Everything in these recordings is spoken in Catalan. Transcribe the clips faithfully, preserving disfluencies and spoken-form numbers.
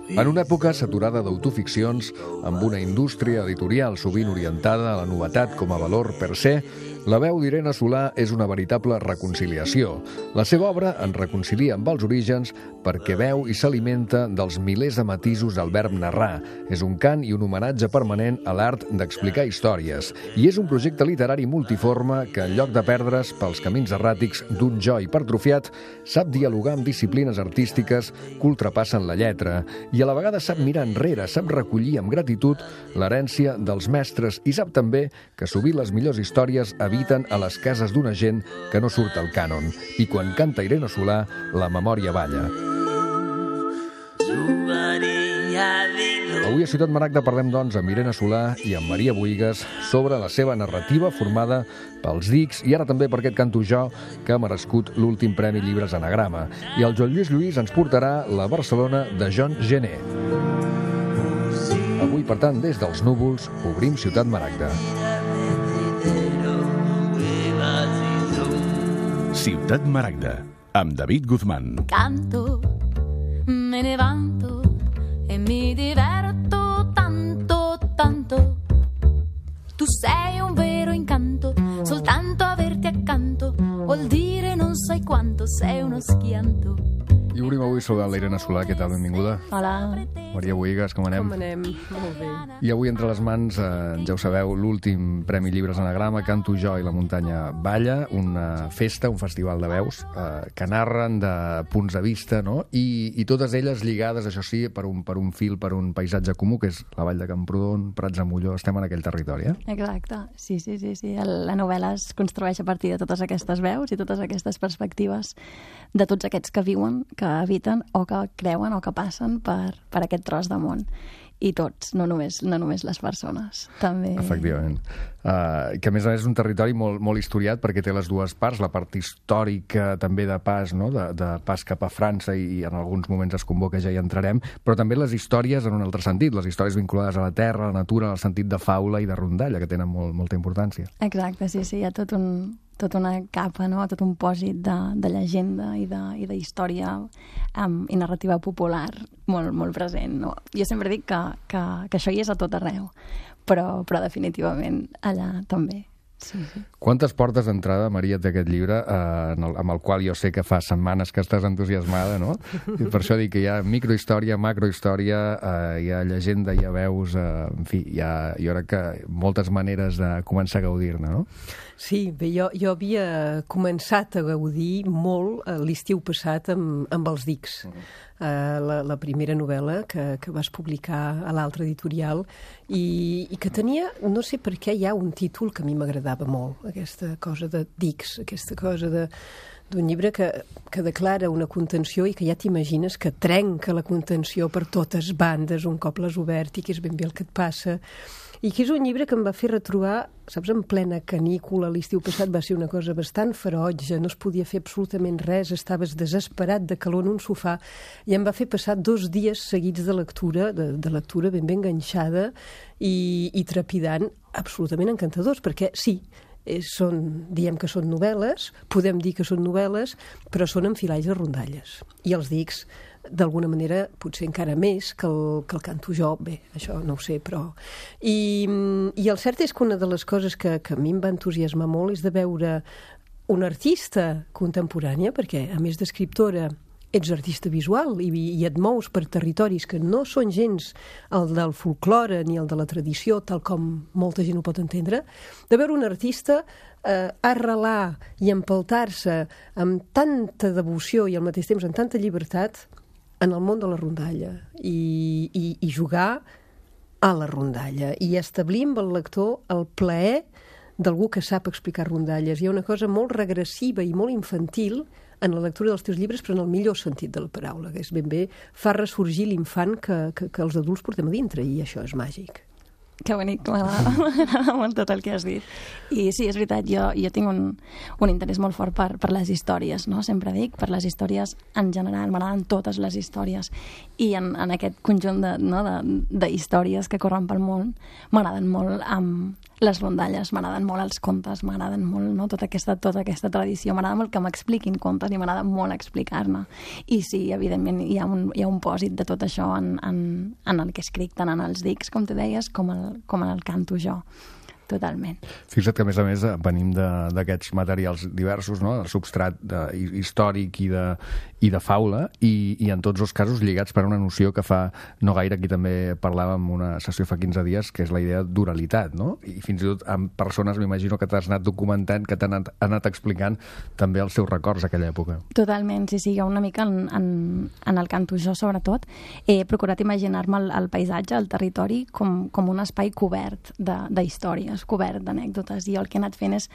En una època saturada d'autoficcions, amb una indústria editorial sovint orientada a la novetat com a valor per se, la veu d'Irene Solà és una veritable reconciliació. La seva obra en reconcilia amb els orígens perquè veu i s'alimenta dels milers de matisos del verb narrar. És un cant i un homenatge permanent a l'art d'explicar històries. I és un projecte literari multiforme que, en lloc de perdre's pels camins erràtics d'un jo hipertrofiat, sap dialogar amb disciplines artístiques que ultrapassen la lletra i a la vegada sap mirar enrere, sap recollir amb gratitud l'herència dels mestres i sap també que sovint les millors històries habiten a les cases d'una gent que no surt al cànon. I quan canta Irene Solà, la memòria balla. Avui a Ciutat Maragda parlem, doncs, amb Irene Solà i amb Maria Bohigas sobre la seva narrativa formada pels dics i ara també per aquest canto jo que ha merescut l'últim Premi Llibres Anagrama. I el Joan Lluís Lluís ens portarà la Barcelona de John Gené. Avui, per tant, des dels núvols, obrim Ciutat Maragda. Ciutat Maragda, amb David Guzmán. Canto, me levanto e mi diverto tanto, tanto. Tu sei un vero incanto, soltanto averti accanto vuol dire non sai quanto sei uno schianto. I obrim avui sobre l'Irene Solà. Què tal? Benvinguda. Hola. Maria Bohigas, com anem? Com anem? Molt bé. I avui entre les mans, eh, ja ho sabeu, l'últim Premi Llibres Anagrama, Canto jo i la muntanya balla, una festa, un festival de veus eh, que narren de punts de vista, no? I, i totes elles lligades, això sí, per un, per un fil, per un paisatge comú, que és la Vall de Camprodon, Prats de Molló, estem en aquell territori, eh? Exacte, sí, sí, sí, sí. La novel·la es construeix a partir de totes aquestes veus i totes aquestes perspectives de tots aquests que viuen, que habiten o que creuen o que passen per, per aquest tros de món. I tots, no només, no només les persones, també... Efectivament. Uh, que a més a més és un territori molt, molt historiat perquè té les dues parts, la part històrica també de pas, no? de, de pas cap a França i, i en alguns moments es convoca, ja hi entrarem, però també les històries en un altre sentit, les històries vinculades a la terra, a la natura, en el sentit de faula i de rondalla, que tenen molt, molta importància. Exacte, sí, sí, hi ha tot un, tota una capa, no? Tot un pòsit de, de llegenda i de, i de història um, i narrativa popular molt, molt present. No? Jo sempre dic que, que, que això hi és a tot arreu, però, però definitivament allà també. Sí, sí. Quantes portes d'entrada, Maria, té aquest llibre, eh, el, amb el qual jo sé que fa setmanes que estàs entusiasmada, no? I per això dic que hi ha microhistòria, macrohistòria, eh, hi ha llegenda, hi ha veus, eh, en fi, hi ha, jo crec que moltes maneres de començar a gaudir-ne, no? Sí, bé, jo, jo havia començat a gaudir molt l'estiu passat amb, amb els dics. Uh-huh. Uh, la, la primera novel·la que, que vas publicar a l'altre editorial i, i que tenia, no sé per què, hi ha un títol que a mi m'agradava molt, aquesta cosa de dics, aquesta cosa de d'un llibre que, que declara una contenció i que ja t'imagines que trenca la contenció per totes bandes un cop l'has obert i que és ben bé el que et passa. I que és un llibre que em va fer retrobar, saps, en plena canícula, l'estiu passat va ser una cosa bastant ferotge, no es podia fer absolutament res, estaves desesperat de calor en un sofà, i em va fer passar dos dies seguits de lectura, de, de lectura ben ben enganxada i, i trepidant, absolutament encantadors, perquè sí, són, diem que són novel·les, podem dir que són novel·les, però són enfilalls de rondalles. I els dics, d'alguna manera, potser encara més que el, que el canto jo, bé, això no ho sé, però... I, i el cert és que una de les coses que, que a mi em va entusiasmar molt és de veure una artista contemporània, perquè a més d'escriptora ets artista visual i, i et mous per territoris que no són gens el del folklore ni el de la tradició, tal com molta gent ho pot entendre, de veure un artista eh, arrelar i empeltar-se amb tanta devoció i al mateix temps amb tanta llibertat en el món de la rondalla i, i, i jugar a la rondalla i establir amb el lector el plaer d'algú que sap explicar rondalles. Hi ha una cosa molt regressiva i molt infantil en la lectura dels teus llibres, però en el millor sentit de la paraula, que és ben bé, fa ressorgir l'infant que, que, que els adults portem a dintre, i això és màgic. Que bonic, m'agrada molt tot el que has dit. I sí, és veritat, jo, jo tinc un, un interès molt fort per, per les històries, no? Sempre dic, per les històries en general, m'agraden totes les històries. I en, en aquest conjunt de, no, de, de històries que corren pel món, m'agraden molt amb les rondalles, m'agraden molt els contes, m'agraden molt, no? tota, aquesta, tota aquesta tradició, m'agrada molt que m'expliquin contes i m'agrada molt explicar-ne. I sí, evidentment, hi ha un, hi ha un pòsit de tot això en, en, en el que escric, tant en els dics, com tu deies, com, el, com en el canto jo. Totalment. Fixa't que, a més a més, venim d'aquests materials diversos, no? El substrat de, històric i de, i de faula, i, i en tots els casos lligats per una noció que fa no gaire, aquí també parlàvem una sessió fa quinze dies, que és la idea d'oralitat, no? I fins i tot amb persones, m'imagino que t'has anat documentant, que t'han anat, anat explicant també els seus records d'aquella època. Totalment, sí, sí, jo una mica en, en, en el canto jo, sobretot, he procurat imaginar-me el, el paisatge, el territori, com, com un espai cobert d'històries, cobert d'anècdotes, i el que he anat fent és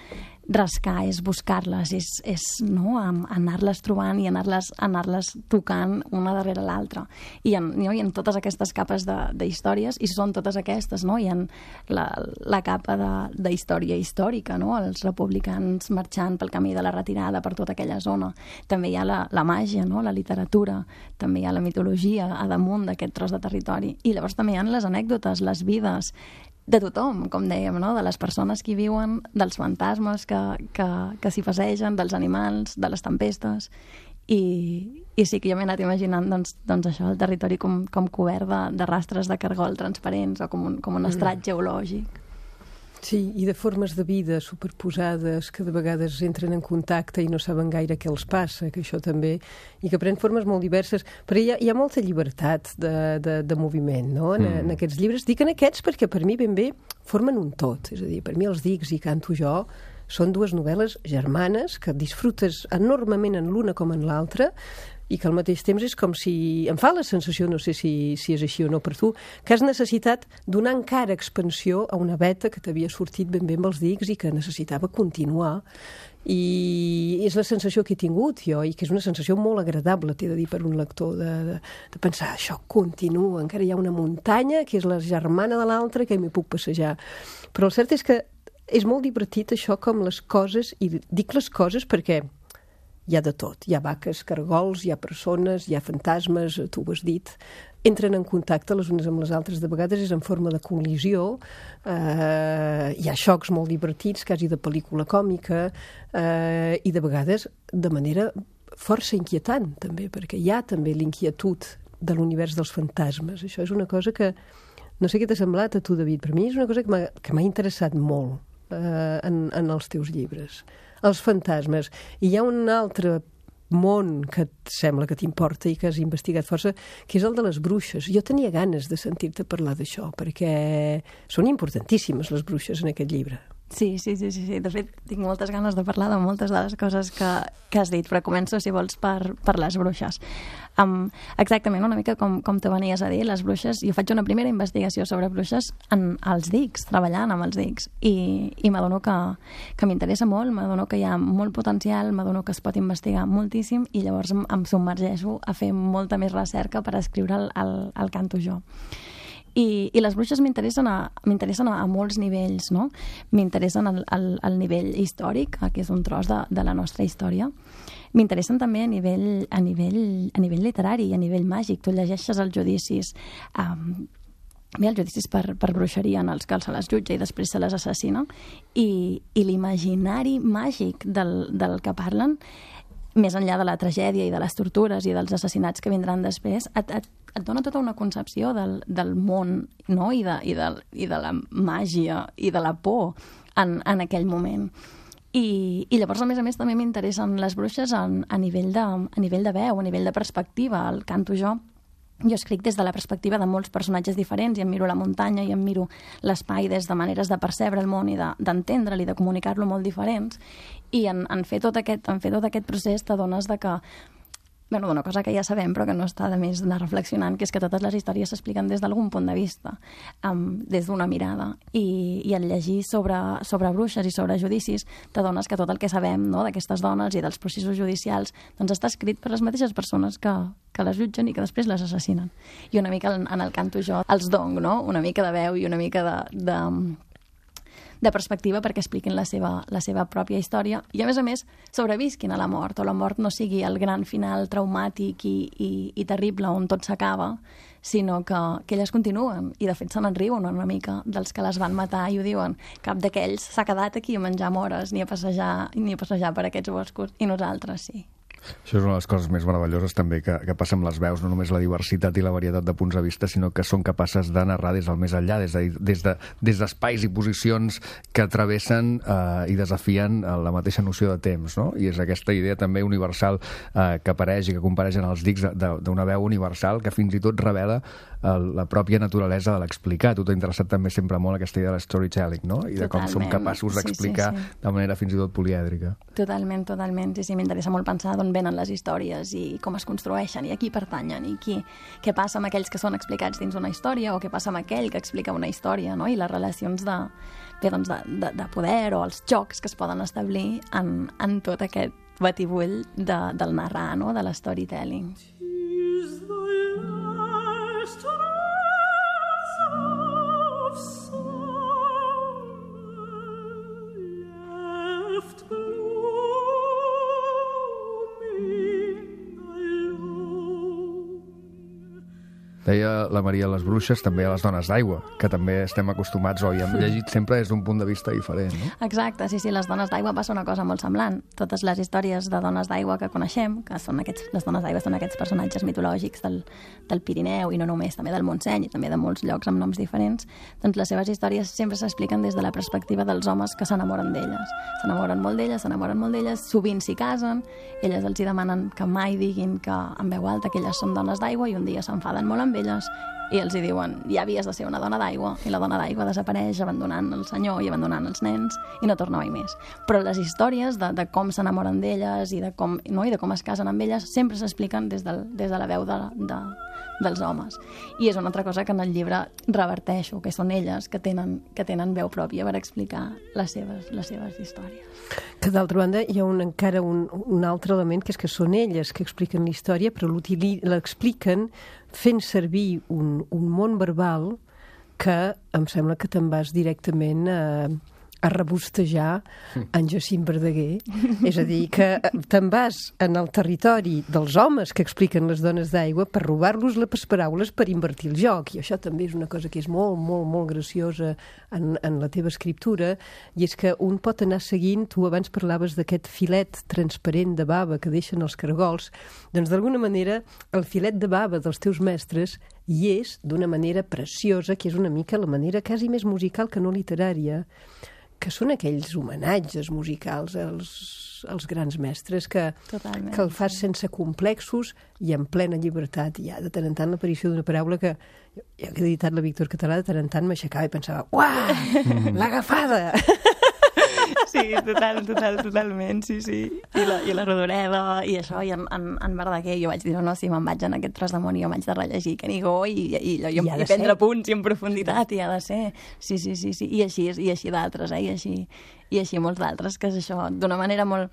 rascar, és buscar-les, és, és no, anar-les trobant i anar-les anar-les tocant una darrere l'altra. I en, no, i en totes aquestes capes d'històries, i són totes aquestes, no? Hi ha la, la capa de història històrica, no? Els republicans marxant pel camí de la retirada per tota aquella zona. També hi ha la, la màgia, no? La literatura, també hi ha la mitologia a damunt d'aquest tros de territori. I llavors també hi ha les anècdotes, les vides, de tothom, com dèiem, no? De les persones que hi viuen, dels fantasmes que, que, que s'hi passegen, dels animals, de les tempestes. I, i sí que jo m'he anat imaginant doncs, doncs això, el territori com, com cobert de, de rastres de cargol transparents o com un, com un estrat geològic. Sí, i de formes de vida superposades que de vegades entren en contacte i no saben gaire què els passa, que això també, i que pren formes molt diverses, però hi ha, hi ha molta llibertat de, de, de moviment, no?, en, mm. en aquests llibres. Dic en aquests perquè per mi ben bé formen un tot, és a dir, per mi els dics i canto jo són dues novel·les germanes que disfrutes enormement en l'una com en l'altra, i que al mateix temps és com si... Em fa la sensació, no sé si, si és així o no per tu, que has necessitat donar encara expansió a una veta que t'havia sortit ben bé amb els dics i que necessitava continuar. I és la sensació que he tingut jo, i que és una sensació molt agradable, t'he de dir, per un lector, de, de, de pensar, això continua, encara hi ha una muntanya que és la germana de l'altra que m'hi puc passejar. Però el cert és que és molt divertit això com les coses, i dic les coses perquè hi ha de tot. Hi ha vaques, cargols, hi ha persones, hi ha fantasmes, tu ho has dit, entren en contacte les unes amb les altres, de vegades és en forma de col·lisió, eh, hi ha xocs molt divertits, quasi de pel·lícula còmica, eh, i de vegades de manera força inquietant, també, perquè hi ha també l'inquietud de l'univers dels fantasmes. Això és una cosa que, no sé què t'ha semblat a tu, David, per mi és una cosa que m'ha interessat molt eh, en, en els teus llibres. Els fantasmes. I hi ha un altre món que et sembla que t'importa i que has investigat força, que és el de les bruixes. Jo tenia ganes de sentir-te parlar d'això, perquè són importantíssimes les bruixes en aquest llibre. Sí, sí, sí, sí, sí. De fet, tinc moltes ganes de parlar de moltes de les coses que, que has dit, però començo, si vols, per, per les bruixes. Um, exactament, una mica com, com te venies a dir, les bruixes, jo faig una primera investigació sobre bruixes en els dics, treballant amb els dics, i, i m'adono que, que m'interessa molt, m'adono que hi ha molt potencial, m'adono que es pot investigar moltíssim, i llavors em, em submergeixo a fer molta més recerca per escriure el, el, el canto jo. I, i les bruixes m'interessen a, m'interessen a, a molts nivells, no? M'interessen al, al, al nivell històric, que és un tros de, de la nostra història. M'interessen també a nivell, a nivell, a nivell literari, a nivell màgic. Tu llegeixes els judicis, um, bé, els judicis per, per bruixeria en els que se les jutja i després se les assassina, i, i l'imaginari màgic del, del que parlen, més enllà de la tragèdia i de les tortures i dels assassinats que vindran després, et, et, et dona tota una concepció del, del món, no? I, de, i, de, i de la màgia i de la por en, en aquell moment. I, i llavors, a més a més, també m'interessen les bruixes en, a, nivell de, a nivell de veu, a nivell de perspectiva. El canto jo, jo escric des de la perspectiva de molts personatges diferents, i em miro la muntanya i em miro l'espai des de maneres de percebre el món i d'entendre'l de, i de comunicar-lo molt diferents, i en, en, fer tot aquest, en fer tot aquest procés t'adones de que bueno, d'una cosa que ja sabem però que no està de més anar reflexionant, que és que totes les històries s'expliquen des d'algun punt de vista, um, des d'una mirada, i, i al llegir sobre, sobre bruixes i sobre judicis t'adones que tot el que sabem, no?, d'aquestes dones i dels processos judicials doncs està escrit per les mateixes persones que, que les jutgen i que després les assassinen. I una mica en, en el canto jo els dong, no?, una mica de veu i una mica de, de de perspectiva perquè expliquin la seva, la seva pròpia història i, a més a més, sobrevisquin a la mort, o la mort no sigui el gran final traumàtic i, i, i terrible on tot s'acaba, sinó que, que elles continuen, i de fet se n'enriuen una mica dels que les van matar i ho diuen, cap d'aquells s'ha quedat aquí a menjar mores ni a passejar, ni a passejar per aquests boscos, i nosaltres sí. Això és una de les coses més meravelloses també que, que passa amb les veus, no només la diversitat i la varietat de punts de vista, sinó que són capaces de narrar des del més enllà, des de, des de, des d'espais i posicions que travessen eh, i desafien la mateixa noció de temps, no? I és aquesta idea també universal eh, que apareix i que compareix en els dics d'una veu universal que fins i tot revela eh, la pròpia naturalesa de l'explicar. Tu t'ha interessat també sempre molt aquesta idea de storytelling, no? I de com Totalment. som capaços d'explicar sí, sí, sí. de manera fins i tot polièdrica. Totalment, totalment. Sí, sí, m'interessa molt pensar d'on venen les històries i com es construeixen i a qui pertanyen i qui, què passa amb aquells que són explicats dins una història o què passa amb aquell que explica una història, no? I les relacions de, bé, doncs de, de, de poder o els jocs que es poden establir en, en tot aquest batibull de, del narrar, no? De l'storytelling. Deia la Maria les bruixes, també a les dones d'aigua, que també estem acostumats o hi hem llegit sempre des d'un punt de vista diferent, no? Exacte, sí, sí, les dones d'aigua passa una cosa molt semblant. Totes les històries de dones d'aigua que coneixem, que són aquests, les dones d'aigua són aquests personatges mitològics del, del Pirineu, i no només, també del Montseny, i també de molts llocs amb noms diferents, doncs les seves històries sempre s'expliquen des de la perspectiva dels homes que s'enamoren d'elles. S'enamoren molt d'elles, s'enamoren molt d'elles, sovint s'hi casen, elles els hi demanen que mai diguin que en veu alta que elles són dones d'aigua i un dia s'enfaden molt amb elles i els hi diuen, ja havies de ser una dona d'aigua, i la dona d'aigua desapareix abandonant el senyor i abandonant els nens i no torna mai més. Però les històries de, de com s'enamoren d'elles i de com, no, i de com es casen amb elles sempre s'expliquen des, del, des de la veu de, de, dels homes. I és una altra cosa que en el llibre reverteixo, que són elles que tenen, que tenen veu pròpia per explicar les seves, les seves històries. Que d'altra banda hi ha un, encara un, un altre element, que és que són elles que expliquen la història, però l'expliquen fent servir un, un món verbal que em sembla que te'n vas directament a, a rebostejar en Jacint Verdaguer. És a dir, que te'n vas en el territori dels homes que expliquen les dones d'aigua per robar-los les paraules per invertir el joc. I això també és una cosa que és molt, molt, molt graciosa en, en la teva escriptura, i és que un pot anar seguint, tu abans parlaves d'aquest filet transparent de bava que deixen els caragols, doncs d'alguna manera el filet de bava dels teus mestres hi és d'una manera preciosa, que és una mica la manera quasi més musical que no literària, que són aquells homenatges musicals als, als grans mestres que, Totalment, que el fas sí. sense complexos i en plena llibertat. I ja de tant en tant l'aparició d'una paraula que jo, jo que he editat la Víctor Català, de tant en tant m'aixecava i pensava, uah, l'agafada! Sí, total, total, totalment, sí, sí. I la, i la Rodoreda, i això, i en, en, en Verdaguer, jo vaig dir, no, no, si me'n vaig en aquest tros de món i jo m'haig de rellegir Canigó i, i, i, i, i prendre ser. punts i en profunditat, i ha de ser. Sí, sí, sí, sí. I així, i així d'altres, eh? I així, i així molts d'altres, que és això, d'una manera molt...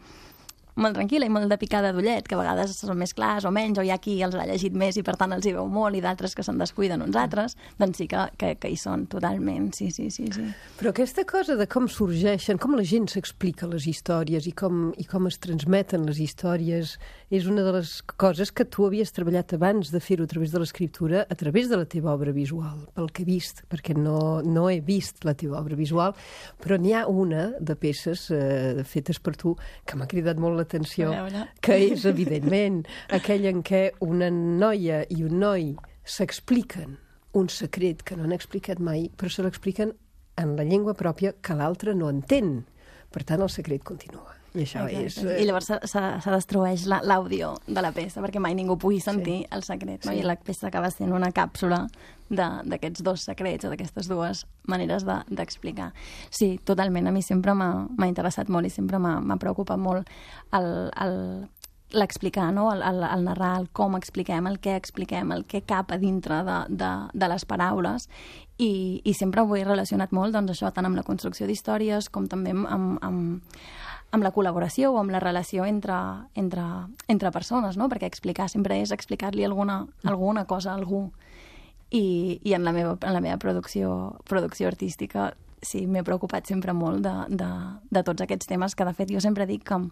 molt tranquil·la i molt de picada d'ullet, que a vegades són més clars o menys, o hi ha qui els ha llegit més i per tant els hi veu molt, i d'altres que se'n descuiden uns altres, doncs sí que, que, que hi són totalment, sí, sí, sí, sí. Però aquesta cosa de com sorgeixen, com la gent s'explica les històries i com, i com es transmeten les històries, és una de les coses que tu havies treballat abans de fer-ho a través de l'escriptura, a través de la teva obra visual, pel que he vist, perquè no, no he vist la teva obra visual, però n'hi ha una de peces eh, fetes per tu que m'ha cridat molt l'atenció, que és, evidentment, aquell en què una noia i un noi s'expliquen un secret que no han explicat mai, però se l'expliquen en la llengua pròpia que l'altre no entén. Per tant, el secret continua. I això és... I llavors se, se, se destrueix l'àudio de la peça, perquè mai ningú pugui sentir sí. el secret. No? Sí. I la peça acaba sent una càpsula d'aquests dos secrets o d'aquestes dues maneres d'explicar. De, sí, totalment. A mi sempre m'ha interessat molt i sempre m'ha preocupat molt el, el, l'explicar, no? el, el, el narrar, el com expliquem, el què expliquem, el què cap a dintre de, de, de les paraules, i, i sempre ho he relacionat molt, doncs això, tant amb la construcció d'històries com també amb, amb, amb, amb la col·laboració o amb la relació entre, entre, entre persones, no? Perquè explicar sempre és explicar-li alguna, alguna cosa a algú. I, i en la meva, en la meva producció, producció artística sí, m'he preocupat sempre molt de, de, de tots aquests temes, que de fet jo sempre dic que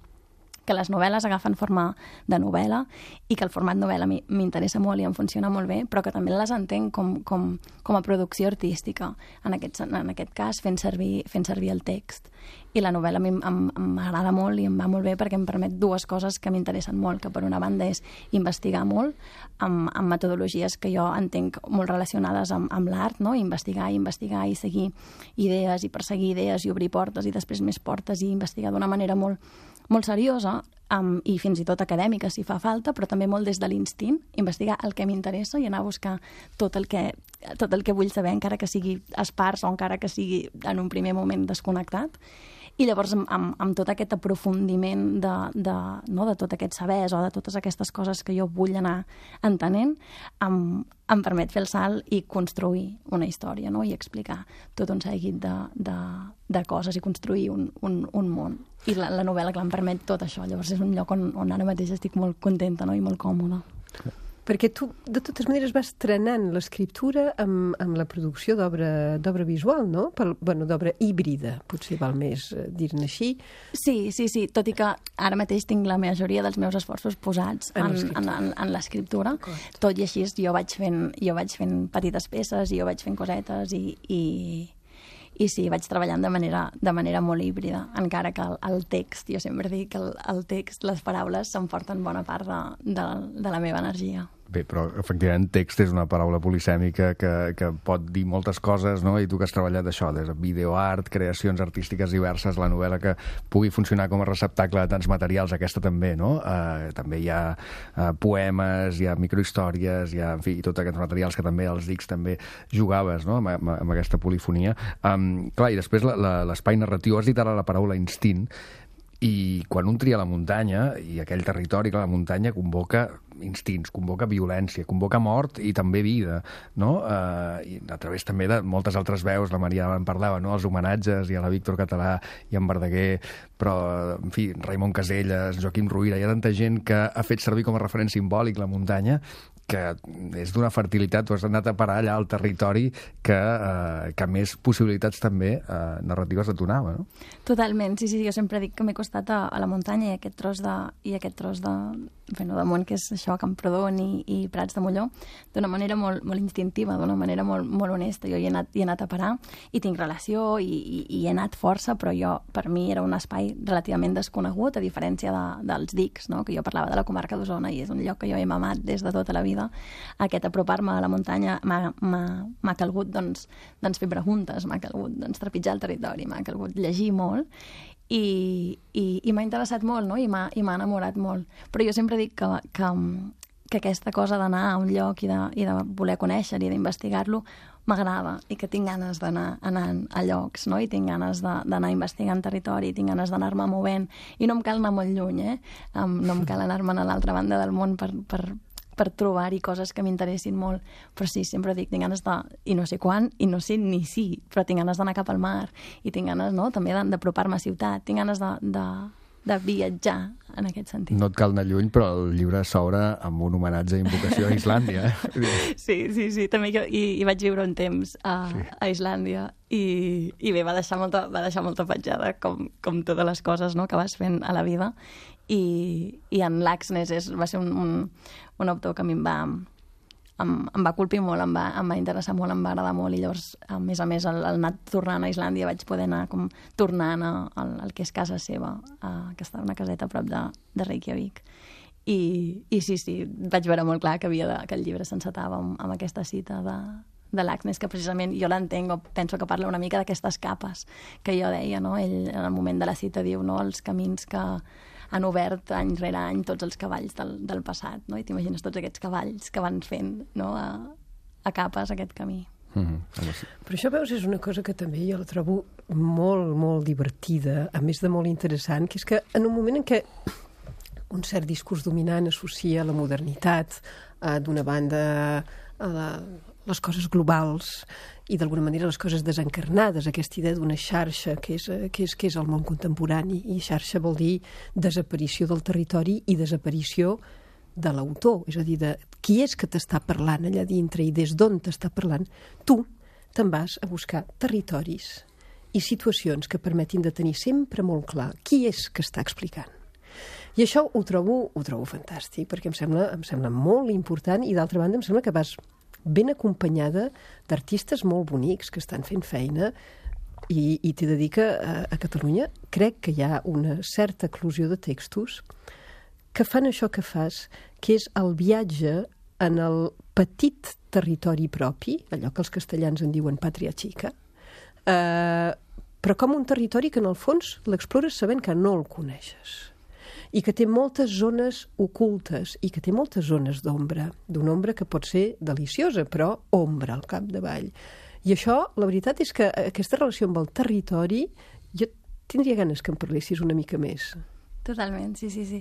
que les novel·les agafen forma de novel·la i que el format novel·la m'interessa molt i em funciona molt bé, però que també les entenc com, com, com a producció artística, en aquest, en aquest cas fent servir, fent servir el text. I la novel·la a mi m'agrada molt i em va molt bé perquè em permet dues coses que m'interessen molt, que per una banda és investigar molt amb, amb metodologies que jo entenc molt relacionades amb, amb l'art, no? Investigar i investigar i seguir idees i perseguir idees i obrir portes i després més portes i investigar d'una manera molt molt seriosa um, i fins i tot acadèmica si fa falta, però també molt des de l'instint, investigar el que m'interessa i anar a buscar tot el que, tot el que vull saber, encara que sigui espars o encara que sigui en un primer moment desconnectat. I llavors, amb, amb, amb tot aquest aprofundiment de, de, no, de tot aquest sabers o de totes aquestes coses que jo vull anar entenent, em, em permet fer el salt i construir una història, no? I explicar tot un seguit de, de, de coses i construir un, un, un món. I la, la novel·la, clar, em permet tot això. Llavors és un lloc on, on ara mateix estic molt contenta, no? I molt còmoda. Perquè tu, de totes maneres, vas trenant l'escriptura amb, amb la producció d'obra visual, no? Pel, bueno, d'obra híbrida, potser val més dir-ne així. Sí, sí, sí, tot i que ara mateix tinc la majoria dels meus esforços posats en, en, en, en l'escriptura. Tot i així jo vaig fent, jo vaig fent petites peces i jo vaig fent cosetes i... i... I sí, vaig treballant de manera, de manera molt híbrida, encara que el, el text, jo sempre dic que el, el text, les paraules, s'emporten bona part de, de, de la meva energia. Bé, però efectivament text és una paraula polisèmica que, que pot dir moltes coses, no? I tu que has treballat això, des de videoart, creacions artístiques diverses, la novel·la que pugui funcionar com a receptacle de tants materials, aquesta també, no? Uh, també hi ha uh, poemes, hi ha microhistòries, hi ha, en fi, tots aquests materials que també els dics també jugaves, no? Amb, amb, amb aquesta polifonia. Um, clar, i després l'espai narratiu, has dit ara la paraula instint, i quan un tria la muntanya i aquell territori, que la muntanya convoca instints, convoca violència, convoca mort i també vida, no? Eh, i a través també de moltes altres veus, la Maria en parlava, no? Els homenatges, i a la Víctor Català i en Verdaguer, però, en fi, Raimon Casellas, Joaquim Ruyra, hi ha tanta gent que ha fet servir com a referent simbòlic la muntanya, que és d'una fertilitat, tu has anat a parar allà al territori que, eh, que més possibilitats també eh, narratives et donava, no? Totalment, sí, sí, jo sempre dic que m'he costat a, a la muntanya i aquest tros de, i aquest tros de, bueno, de món que és això, Camprodon i, i Prats de Molló, d'una manera molt, molt instintiva, d'una manera molt, molt honesta. Jo hi he, anat, hi he anat a parar i tinc relació i, i, i he anat força, però jo, per mi era un espai relativament desconegut, a diferència de, dels dics, no? Que jo parlava de la comarca d'Osona i és un lloc que jo he mamat des de tota la vida. Aquest apropar-me a la muntanya m'ha calgut doncs, doncs fer preguntes, m'ha calgut doncs, trepitjar el territori, m'ha calgut llegir molt i, i, i m'ha interessat molt, no? I m'ha enamorat molt. Però jo sempre dic que, que, que aquesta cosa d'anar a un lloc i de, i de voler conèixer i d'investigar-lo m'agrada i que tinc ganes d'anar anant a llocs, no? I tinc ganes d'anar investigant territori, tinc ganes d'anar-me movent i no em cal anar molt lluny, eh? Um, no em cal anar-me'n a l'altra banda del món per, per, per trobar-hi coses que m'interessin molt, però sí, sempre dic, tinc ganes de, i no sé quan, i no sé ni si, però tinc ganes d'anar cap al mar, i tinc ganes, no?, també d'apropar-me a ciutat, tinc ganes de, de, de viatjar, en aquest sentit. No et cal anar lluny, però el llibre s'obre amb un homenatge i invocació a Islàndia, eh? Sí, sí, sí, també jo hi, hi vaig viure un temps a, sí. a Islàndia, i, i bé, va deixar molta, va deixar molta petjada, com, com totes les coses, no?, que vas fent a la vida, i, i en Laxness és, va ser un, un, un autor que a mi em va, em, em va colpir molt, em va, em va interessar molt, em va agradar molt, i llavors, a més a més, al, al anar tornant a Islàndia vaig poder anar com tornant a, al, al que és casa seva, a, que està una caseta a prop de, de Reykjavik. I, I sí, sí, vaig veure molt clar que, havia de, que el llibre s'encetava amb, amb aquesta cita de, de Laxness, que precisament jo l'entenc, o penso que parla una mica d'aquestes capes que jo deia, no? Ell, en el moment de la cita, diu, no?, els camins que han obert any rere any tots els cavalls del, del passat, no? I t'imagines tots aquests cavalls que van fent, no?, a, a capes aquest camí. Mm-hmm. Però això, veus, és una cosa que també jo la trobo molt, molt divertida, a més de molt interessant, que és que en un moment en què un cert discurs dominant associa la modernitat, eh, d'una banda a la, les coses globals i d'alguna manera les coses desencarnades, aquesta idea d'una xarxa que és, que és, que és el món contemporani, i xarxa vol dir desaparició del territori i desaparició de l'autor, és a dir, de qui és que t'està parlant allà dintre i des d'on t'està parlant. Tu te'n vas a buscar territoris i situacions que permetin de tenir sempre molt clar qui és que està explicant. I això ho trobo, ho trobo fantàstic, perquè em sembla, em sembla molt important, i d'altra banda em sembla que vas ben acompanyada d'artistes molt bonics que estan fent feina, i, i t'he de dir que a, a Catalunya crec que hi ha una certa eclosió de textos que fan això que fas, que és el viatge en el petit territori propi, allò que els castellans en diuen pàtria xica, eh, però com un territori que en el fons l'explores sabent que no el coneixes, i que té moltes zones ocultes i que té moltes zones d'ombra, d'una ombra que pot ser deliciosa, però ombra al capdavall. I això, la veritat és que aquesta relació amb el territori, jo tindria ganes que em parlessis una mica més. Totalment, sí, sí, sí.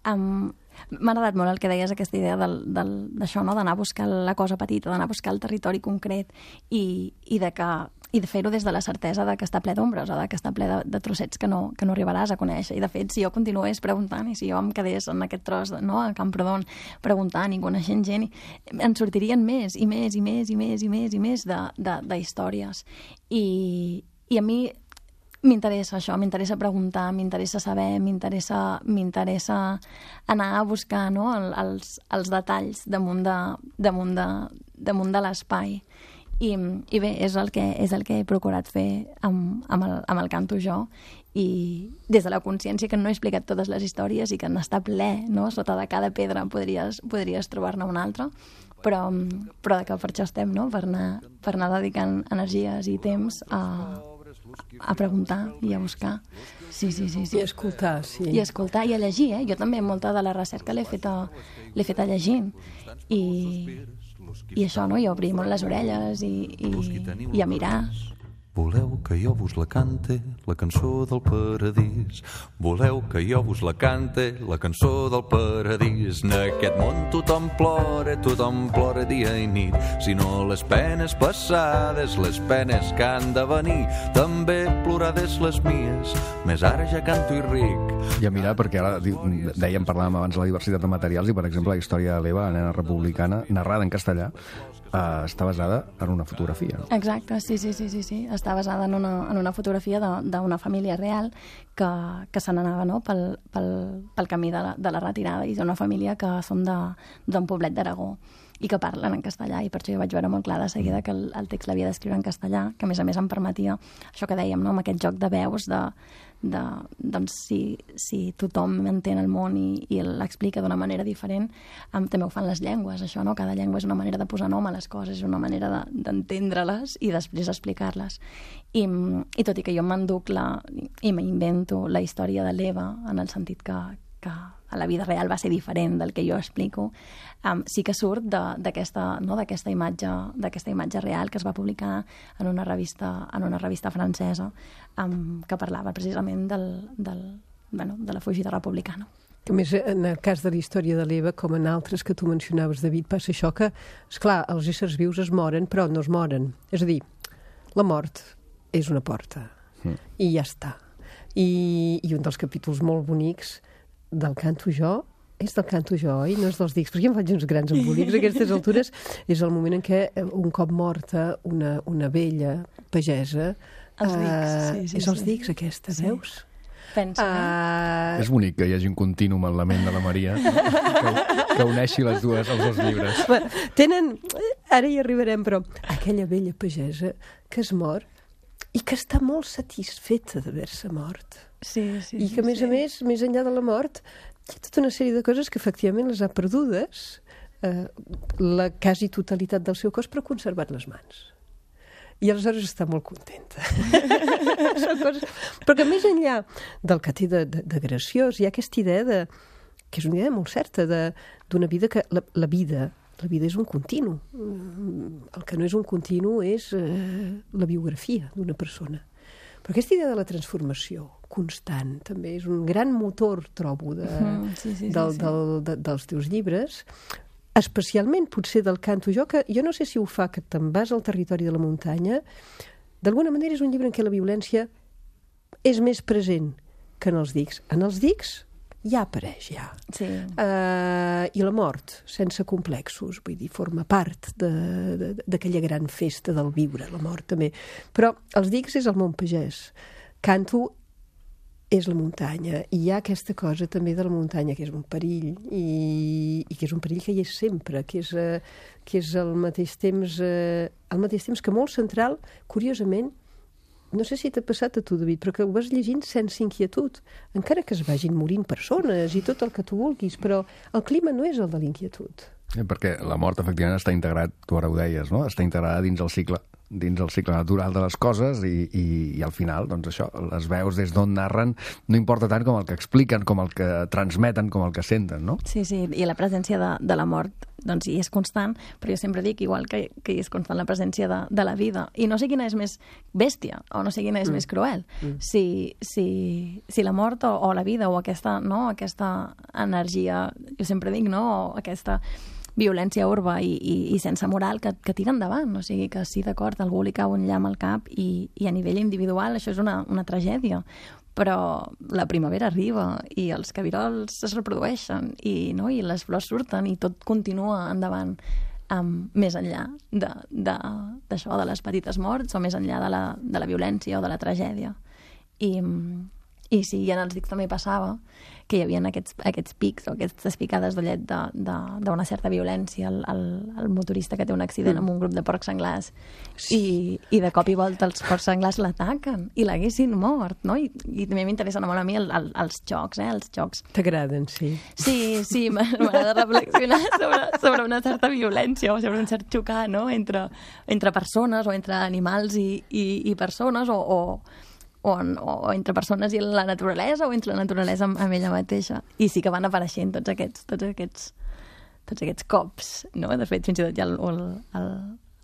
Um, M'ha agradat molt el que deies, aquesta idea del, del, d'això, no? D'anar a buscar la cosa petita, d'anar a buscar el territori concret i, i de que i de fer-ho des de la certesa de que està ple d'ombres o de que està ple de, de trossets que no, que no arribaràs a conèixer. I, de fet, si jo continués preguntant i si jo em quedés en aquest tros, no, a Camprodon, preguntant i coneixent gent, en sortirien més i més i més i més i més i més de, de, de històries. I, i a mi m'interessa això, m'interessa preguntar, m'interessa saber, m'interessa m'interessa anar a buscar, no, el, els, els detalls damunt de, damunt de, damunt de l'espai. I, i bé, és el, que, és el que he procurat fer amb, amb, el, amb el Canto jo, i des de la consciència que no he explicat totes les històries i que n'està ple, no? Sota de cada pedra podries, podries trobar-ne una altra, però, però que per això estem, no? Per anar, per anar dedicant energies i temps a, a preguntar i a buscar. Sí, sí, sí, sí. I a escoltar, sí. I a escoltar i a llegir, eh? Jo també molta de la recerca l'he feta, l'he feta llegint. I... I això, no? I obrir molt les orelles i, i, i a mirar. Voleu que jo vos la cante, la cançó del paradís. Voleu que jo vos la cante, la cançó del paradís. En aquest món tothom plora, tothom plora dia i nit. Si no les penes passades, les penes que han de venir, també plorades les mies, més ara ja canto i ric. I a mirar, perquè ara dèiem, parlàvem abans de la diversitat de materials, i per exemple la història de l'Eva, la nena republicana, narrada en castellà, Uh, està basada en una fotografia, no? Exacte, sí, sí, sí, sí, sí. Està basada en una, en una fotografia d'una família real que, que se n'anava, no? pel, pel, pel camí de la, de la retirada, i d'una família que són d'un poblet d'Aragó i que parlen en castellà, i per això jo vaig veure molt clar de seguida que el, el text l'havia d'escriure en castellà, que a més a més em permetia això que dèiem, no? Amb aquest joc de veus de, de, doncs si, si tothom entén el món i, i l'explica d'una manera diferent, um, també ho fan les llengües, això, no? Cada llengua és una manera de posar nom a les coses, és una manera d'entendre-les i després explicar-les. I, i tot i que jo m'enduc la, i m'invento la història de l'Eva, en el sentit que, que a la vida real va ser diferent del que jo explico, um, sí que surt d'aquesta, no, d'aquesta imatge, d'aquesta imatge real que es va publicar en una revista, en una revista francesa, um, que parlava precisament del, del, bueno, de la fugida republicana. A més, en el cas de la història de l'Eva, com en altres que tu mencionaves, David, passa això que, esclar, els éssers vius es moren, però no es moren. És a dir, la mort és una porta, mm. i ja està. I, I un dels capítols molt bonics del Canto jo, és del Canto jo, oi? No és dels dics, perquè em faig uns grans embolics a aquestes altures. És el moment en què, un cop morta una, una vella pagesa, els dics, uh, sí, sí, és els sí. dics aquesta, sí. Veus? Pensa, uh, És bonic que hi hagi un contínum en la ment de la Maria que, que uneixi les dues, els dos llibres. Tenen, ara hi arribarem, però aquella vella pagesa que es mor i que està molt satisfeta d'haver-se mort. sí, sí, I que, a més sí. a més, més enllà de la mort, hi ha tota una sèrie de coses que efectivament les ha perdudes, eh, la quasi totalitat del seu cos, però ha conservat les mans. I aleshores està molt contenta. Són coses... Però que més enllà del que té de, de, de graciós, hi ha aquesta idea de, que és una idea molt certa, d'una vida que... La, la vida la vida és un continu. El que no és un continu és eh, la biografia d'una persona. Però aquesta idea de la transformació, constant, també. És un gran motor, trobo, de, Mm, sí, sí, sí, del, sí. del, de, dels teus llibres, especialment potser del Canto jo, que jo no sé si ho fa, que te'n vas al territori de la muntanya. D'alguna manera és un llibre en què la violència és més present que en els dics. En els dics ja apareix, ja. Sí. Uh, I la mort, sense complexos, vull dir, forma part de- de- d'aquella gran festa del viure, la mort també. Però els dics és el món pagès. Canto és la muntanya, i hi ha aquesta cosa també de la muntanya, que és un perill, i, i que és un perill que hi és sempre, que és, uh, que és al mateix temps uh, al mateix temps que molt central, curiosament. No sé si t'ha passat a tu, David, però que ho vas llegint sense inquietud, encara que es vagin morint persones i tot el que tu vulguis, però el clima no és el de l'inquietud. Eh, Perquè la mort, efectivament, està integrat, tu ara ho deies, no? Està integrada dins el cicle dins el cicle natural de les coses i, i, i al final, doncs això, les veus des d'on narren no importa tant com el que expliquen, com el que transmeten, com el que senten, no? Sí, sí, i la presència de, de la mort doncs hi és constant, però jo sempre dic igual que, que hi és constant la presència de, de la vida, i no sé quina és més bèstia o no sé quina és mm. més cruel, mm. si, si, si la mort o, o la vida o aquesta, no, aquesta energia, jo sempre dic, no, o aquesta violència urba i, i, i sense moral que, que tira endavant, o sigui que sí, d'acord, algú li cau un llamp al cap i, i a nivell individual això és una, una tragèdia, però la primavera arriba i els cabirols es reprodueixen i, no, i les flors surten i tot continua endavant, um, més enllà de, de, d'això, de les petites morts o més enllà de la, de la violència o de la tragèdia. I, i sí, i en els dics també passava que hi havia aquests, aquests pics o aquestes picades d'ullet d'una certa violència, el, el, el motorista que té un accident mm. amb un grup de porcs senglars sí. i, i de cop i volta els porcs senglars l'ataquen i l'haguessin mort, no? I, i també m'interessen molt a mi el, el, els xocs, eh? Els xocs. T'agraden, sí. Sí, sí, m'agrada reflexionar sobre, sobre una certa violència o sobre un cert xocar, no? Entre, entre persones o entre animals i, i, i persones o... o O, o entre persones i la naturalesa o entre la naturalesa amb, amb ella mateixa. I sí que van apareixent tots aquests, tots aquests, tots aquests cops, no? De fet, fins i tot hi ha el, el, el,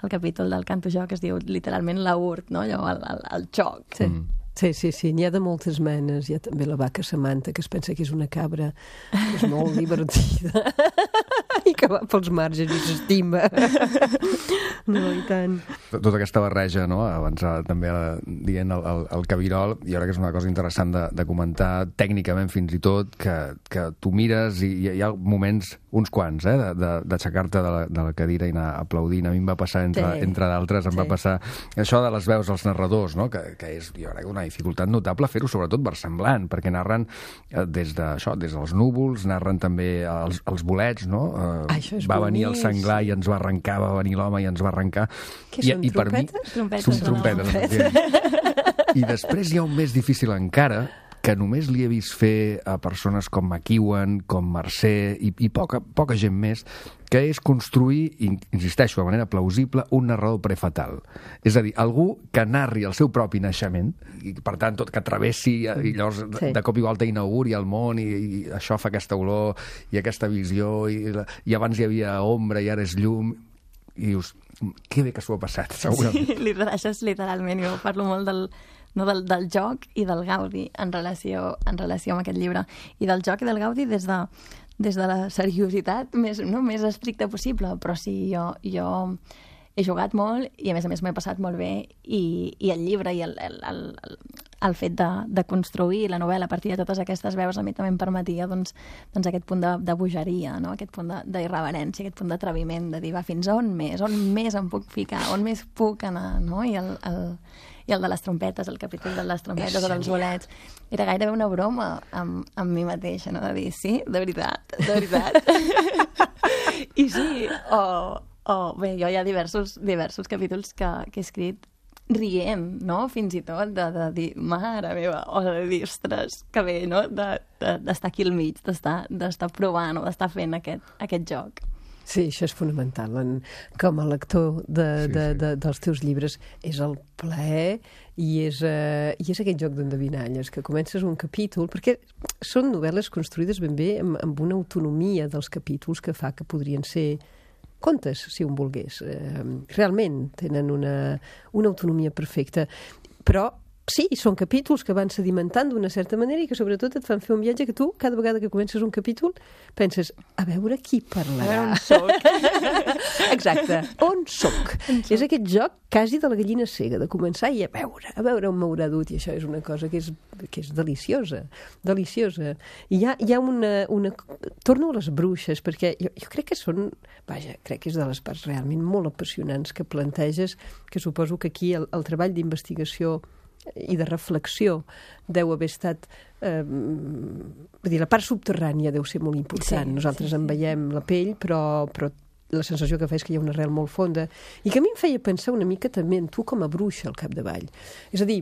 el capítol del Canto jo que es diu literalment la urt, no? Allò, el, el, el xoc. Sí. Mm. Sí, sí, sí, n'hi ha de moltes menes. Hi ha també la vaca Samantha, que es pensa que és una cabra que és molt divertida i que va pels marges i s'estima. No, i tant. Tota aquesta barreja, no? Abans també dient el, el, el cabirol, i ara que és una cosa interessant de, de comentar tècnicament fins i tot, que, que tu mires i hi ha moments, uns quants, eh, d'aixecar-te de, de, de la cadira i anar aplaudint. A mi em va passar, entre, sí. entre d'altres, em sí. va passar això de les veus als narradors, no? que, que és, jo crec, una dificultat notable fer-ho sobretot versemblant, perquè narren eh, des d'això, des dels núvols, narren també els, els bolets, no? Eh, Això és va venir bonic. el senglar i ens va arrencar, va venir l'home i ens va arrencar. Què I, són, i per trompetes? mi, Trompetes, són trompetes, efectivament. I després hi ha un més difícil encara, que només li he vist fer a persones com McEwan, com Mercè i, i poca, poca gent més, que és construir, insisteixo, de manera plausible, un narrador prefatal. És a dir, algú que narri el seu propi naixement, i per tant, tot que travessi, i llavors sí. de, de cop i volta inauguri el món, i, i això fa aquesta olor, i aquesta visió, i, i abans hi havia ombra i ara és llum, i dius, que bé que s'ho ha passat, segurament. Sí, li deixes literalment, jo parlo molt del, no, del, del joc i del gaudi en relació, en relació amb aquest llibre. I del joc i del gaudi des de, des de la seriositat més, no, més estricta possible, però sí, jo, jo he jugat molt i a més a més m'he passat molt bé i, i el llibre i el, el, el, el fet de, de construir la novel·la a partir de totes aquestes veus a mi també em permetia doncs, doncs aquest punt de, de bogeria, no? Aquest punt d'irreverència, aquest punt d'atreviment, de dir, va, fins on més? On més em puc ficar? On més puc anar? No? I el, el, i el de les trompetes, el capítol de les trompetes o dels bolets, era gairebé una broma amb, amb mi mateixa, no? De dir, sí, de veritat, de veritat. I sí, o... Oh, bé, jo hi ha diversos, diversos capítols que, que he escrit rient, no? Fins i tot de, de dir, mare meva, o de dir, ostres, que bé, no? D'estar de, de, aquí al mig, d'estar provant o d'estar fent aquest, aquest joc. Sí, això és fonamental. En, com a lector de, sí, de, de, dels teus llibres és el plaer i és, uh, i és aquest joc d'endevinalles, que comences un capítol, perquè són novel·les construïdes ben bé amb, amb una autonomia dels capítols que fa que podrien ser contes, si un volgués. Eh, realment tenen una, una autonomia perfecta, però sí, són capítols que van sedimentant d'una certa manera i que sobretot et fan fer un viatge que tu, cada vegada que comences un capítol, penses, a veure qui parlarà. On soc? Exacte, on soc? És aquest joc quasi de la gallina cega, de començar i a veure, a veure on m'haurà dut, i això és una cosa que és, que és deliciosa, deliciosa. I hi ha, hi ha una, una... Torno a les bruixes, perquè jo, jo crec que són... Vaja, crec que és de les parts realment molt apassionants que planteges, que suposo que aquí el, el treball d'investigació i de reflexió deu haver estat... Eh, vull dir, la part subterrània deu ser molt important. Sí, Nosaltres sí, en veiem la pell, però, però la sensació que fa és que hi ha una arrel molt fonda. I que a mi em feia pensar una mica també en tu com a bruixa al capdavall. És a dir,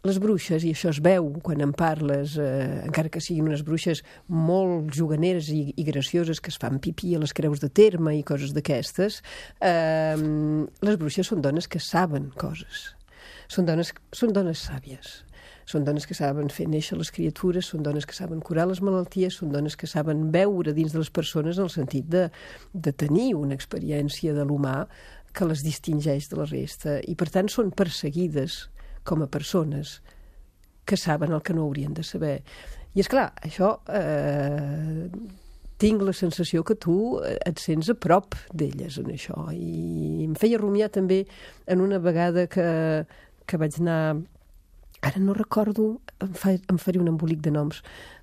les bruixes, i això es veu quan en parles, eh, encara que siguin unes bruixes molt juganeres i, i gracioses que es fan pipí a les creus de terme i coses d'aquestes, eh, les bruixes són dones que saben coses. Són dones, són dones sàvies, són dones que saben fer néixer les criatures, són dones que saben curar les malalties, són dones que saben veure dins de les persones en el sentit de, de tenir una experiència de l'humà que les distingeix de la resta i per tant són perseguides com a persones que saben el que no haurien de saber. I és clar, això eh, tinc la sensació que tu et sents a prop d'elles en això i em feia rumiar també en una vegada que que vaig anar, ara no recordo, em, fa, em faré un embolic de noms,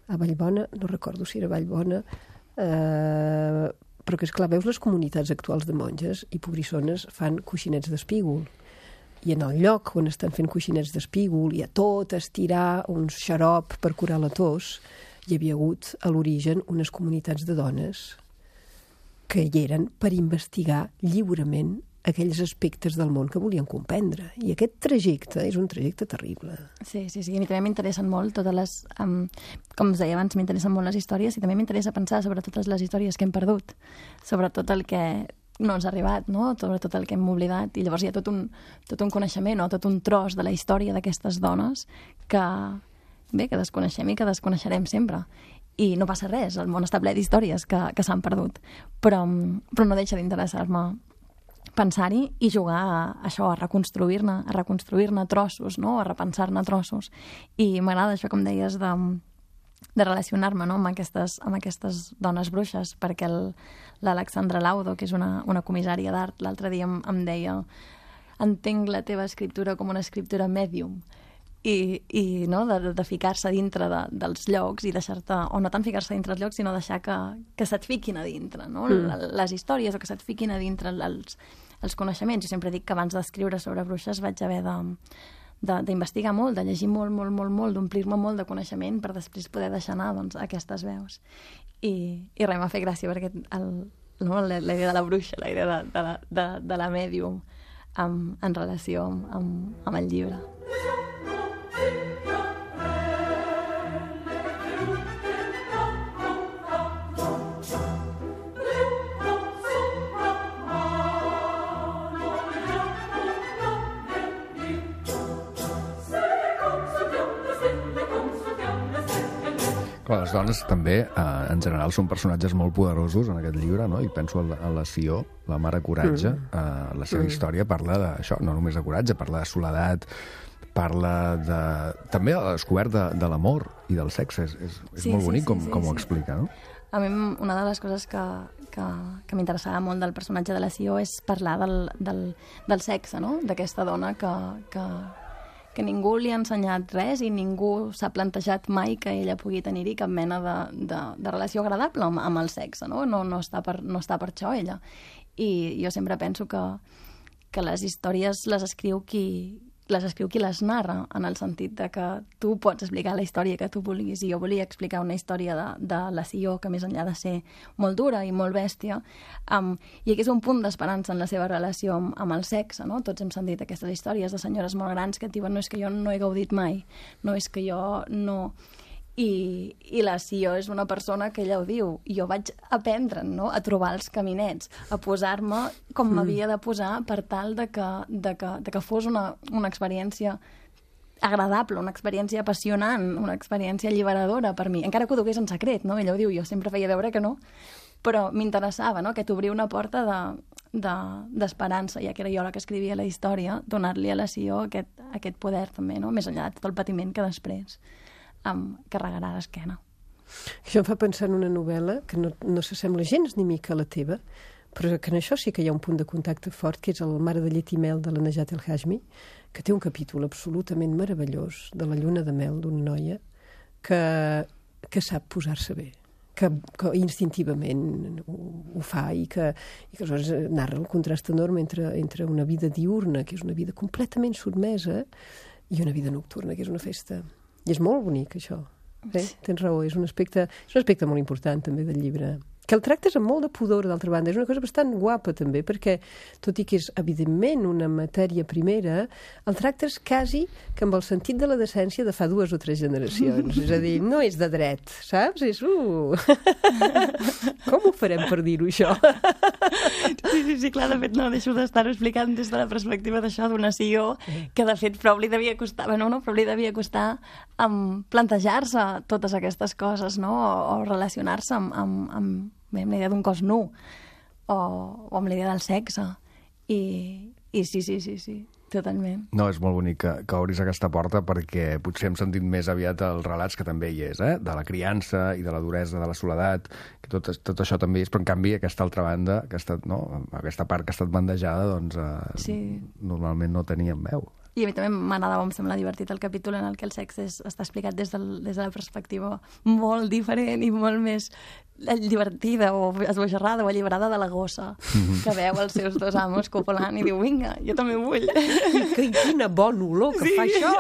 a Vallbona, no recordo si era Vallbona, eh, però que, esclar, veus les comunitats actuals de monges i pobrissones fan coixinets d'espígol. I en el lloc on estan fent coixinets d'espígol i a tot estirar un xarop per curar la tos, hi havia hagut a l'origen unes comunitats de dones que hi eren per investigar lliurement aquells aspectes del món que volien comprendre. I aquest trajecte és un trajecte terrible. Sí, sí, sí. A mi també m'interessen molt totes les... Um, com us deia abans, m'interessen molt les històries i també m'interessa pensar sobre totes les històries que hem perdut, sobre tot el que no ens ha arribat, no? Sobre tot el que hem oblidat. I llavors hi ha tot un, tot un coneixement o tot un tros de la història d'aquestes dones que, bé, que desconeixem i que desconeixerem sempre. I no passa res, el món està ple d'històries que, que s'han perdut. Però, però no deixa d'interessar-me pensar-hi i jugar a això, a reconstruir-ne, a reconstruir-ne trossos, no? A repensar-ne trossos. I m'agrada això, com deies, de, de relacionar-me, no? amb, aquestes, amb aquestes dones bruixes, perquè l'Alexandra Laudo, que és una, una comissària d'art, l'altre dia em, em deia entenc la teva escriptura com una escriptura mèdium, i, i no? de, de ficar-se dintre de, dels llocs i deixar-te, o no tant ficar-se dintre dels llocs, sinó deixar que, que se't fiquin a dintre, no? Mm. Les històries, o que se't fiquin a dintre els, els coneixements. Jo sempre dic que abans d'escriure sobre bruixes vaig haver de, de, d'investigar molt, de llegir molt, molt, molt, molt, d'omplir-me molt de coneixement per després poder deixar anar doncs, aquestes veus. I, i res, m'ha fet gràcia perquè el, no, la, la idea de la bruixa, la idea de, de, la, de, de la mèdium amb, en relació amb, amb, amb el llibre. Clar, les dones també, eh, en general, són personatges molt poderosos en aquest llibre, no? I penso en la, en la Sió, la mare coratge. Mm. Eh, la seva mm. història parla d'això, no només de coratge, parla de soledat, parla de... també de la descoberta de, de l'amor i del sexe. És, és, és sí, molt sí, bonic sí, com, sí, com sí. ho explica, no? A mi una de les coses que, que, que m'interessava molt del personatge de la Sió és parlar del, del, del sexe, no? D'aquesta dona que... que que ningú li ha ensenyat res i ningú s'ha plantejat mai que ella pugui tenir-hi cap mena de, de, de relació agradable amb, amb el sexe, no? No, no, està per, no està per això, ella. I jo sempre penso que, que les històries les escriu qui, les escriu qui les narra, en el sentit de que tu pots explicar la història que tu vulguis, i jo volia explicar una història de, de la Sió que més enllà de ser molt dura i molt bèstia, um, i aquí és un punt d'esperança en la seva relació amb, amb el sexe, no? Tots hem sentit aquestes històries de senyores molt grans que et diuen no és que jo no he gaudit mai, no és que jo no... I, i la Sió és una persona que ella ho diu, jo vaig aprendre, no?, a trobar els caminets, a posar-me com m'havia de posar per tal de que, de que, de que fos una, una experiència agradable, una experiència apassionant, una experiència alliberadora per mi, encara que ho dugués en secret, no? Ella ho diu, jo sempre feia veure que no, però m'interessava, no?, que t'obria una porta de, d'esperança, ja que era jo la que escrivia la història, donar-li a la Sió aquest, aquest poder també, no? Més enllà de tot el patiment que després em carregarà a l'esquena. Això em fa pensar en una novel·la que no, no s'assembla gens ni mica a la teva, però que en això sí que hi ha un punt de contacte fort, que és el Mare de llet i mel de la Najat El Hashmi, que té un capítol absolutament meravellós de la lluna de mel d'una noia que, que sap posar-se bé, que, que instintivament ho, ho fa i que, i que aleshores narra el contrast enorme entre, entre una vida diurna, que és una vida completament sotmesa, i una vida nocturna, que és una festa. I és molt bonic, això. Eh? Tens raó, és un aspecte, és un aspecte molt important també del llibre. Que el tractes amb molt de pudor, d'altra banda. És una cosa bastant guapa, també, perquè, tot i que és, evidentment, una matèria primera, el tractes quasi que amb el sentit de la decència de fa dues o tres generacions. És a dir, no és de dret, saps? És, uh... Com ho farem per dir-ho, això? Sí, sí, sí, clar, de fet, no deixo d'estar-ho explicant des de la perspectiva d'això, d'una Sió, que, de fet, prou li devia costar, bueno, no, prou li devia costar um, plantejar-se totes aquestes coses, no?, o, o relacionar-se amb, amb, amb bé, amb la idea d'un cos nu o, o amb la idea del sexe i, i sí, sí, sí, sí, totalment. No, és molt bonic que, que obris aquesta porta perquè potser hem sentit més aviat els relats que també hi és, eh? De la criança i de la duresa de la soledat, que tot, tot això també és, però en canvi aquesta altra banda, aquesta, no? Aquesta part que ha estat bandejada, doncs eh, sí. Normalment no teníem veu. I a mi també m'agradava, em sembla divertit el capítol en el que el sexe és, està explicat des, del, des de la perspectiva molt diferent i molt més divertida o esbojarrada o alliberada de la gossa que veu els seus dos amos copulant i diu, vinga, jo també vull. Que, quina bona olor que sí, fa això!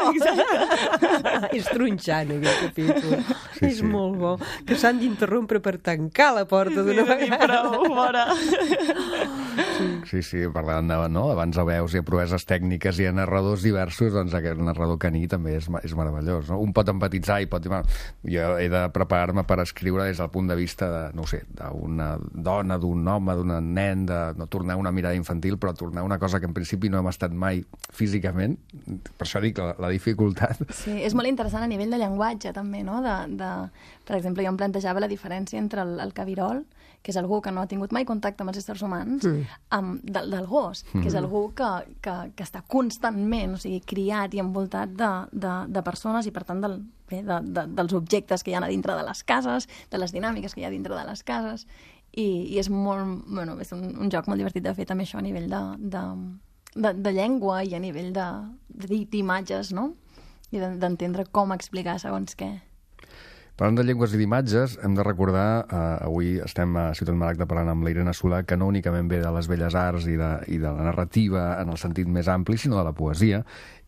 És tronxant, aquest capítol. Sí, és sí. Molt bo. Que s'han d'interrompre per tancar la porta d'una sí, vegada. Prou, fora. Sí, sí, parlant de, no? Abans de veus i a proeses tècniques i a narradors diversos, doncs aquest narrador caní també és, és meravellós, no? Un pot empatitzar i pot dir, bueno, jo he de preparar-me per escriure des del punt de vista de, no ho sé, d'una dona, d'un home, d'un nen, de no tornar una mirada infantil, però tornar una cosa que en principi no hem estat mai físicament. Per això dic la, la dificultat. Sí, és molt interessant a nivell de llenguatge també, no? De, de, per exemple, jo em plantejava la diferència entre el, el cabirol, que és algú que no ha tingut mai contacte amb els éssers humans, mm. amb, del, del gos, mm. que és algú que, que, que està constantment, o sigui, criat i envoltat de, de, de persones i, per tant, del, bé, de, de, dels objectes que hi ha a dintre de les cases, de les dinàmiques que hi ha dintre de les cases, i, i és molt, bueno, és un, un joc molt divertit de fer també això a nivell de, de, de, de llengua i a nivell de, de, d'imatges, no? I d'entendre com explicar segons què. Parlant de llengües i d'imatges, hem de recordar, eh, avui estem a Ciutat Maragda parlant amb la Irene Solà, que no únicament ve de les belles arts i de, i de la narrativa en el sentit més ampli, sinó de la poesia.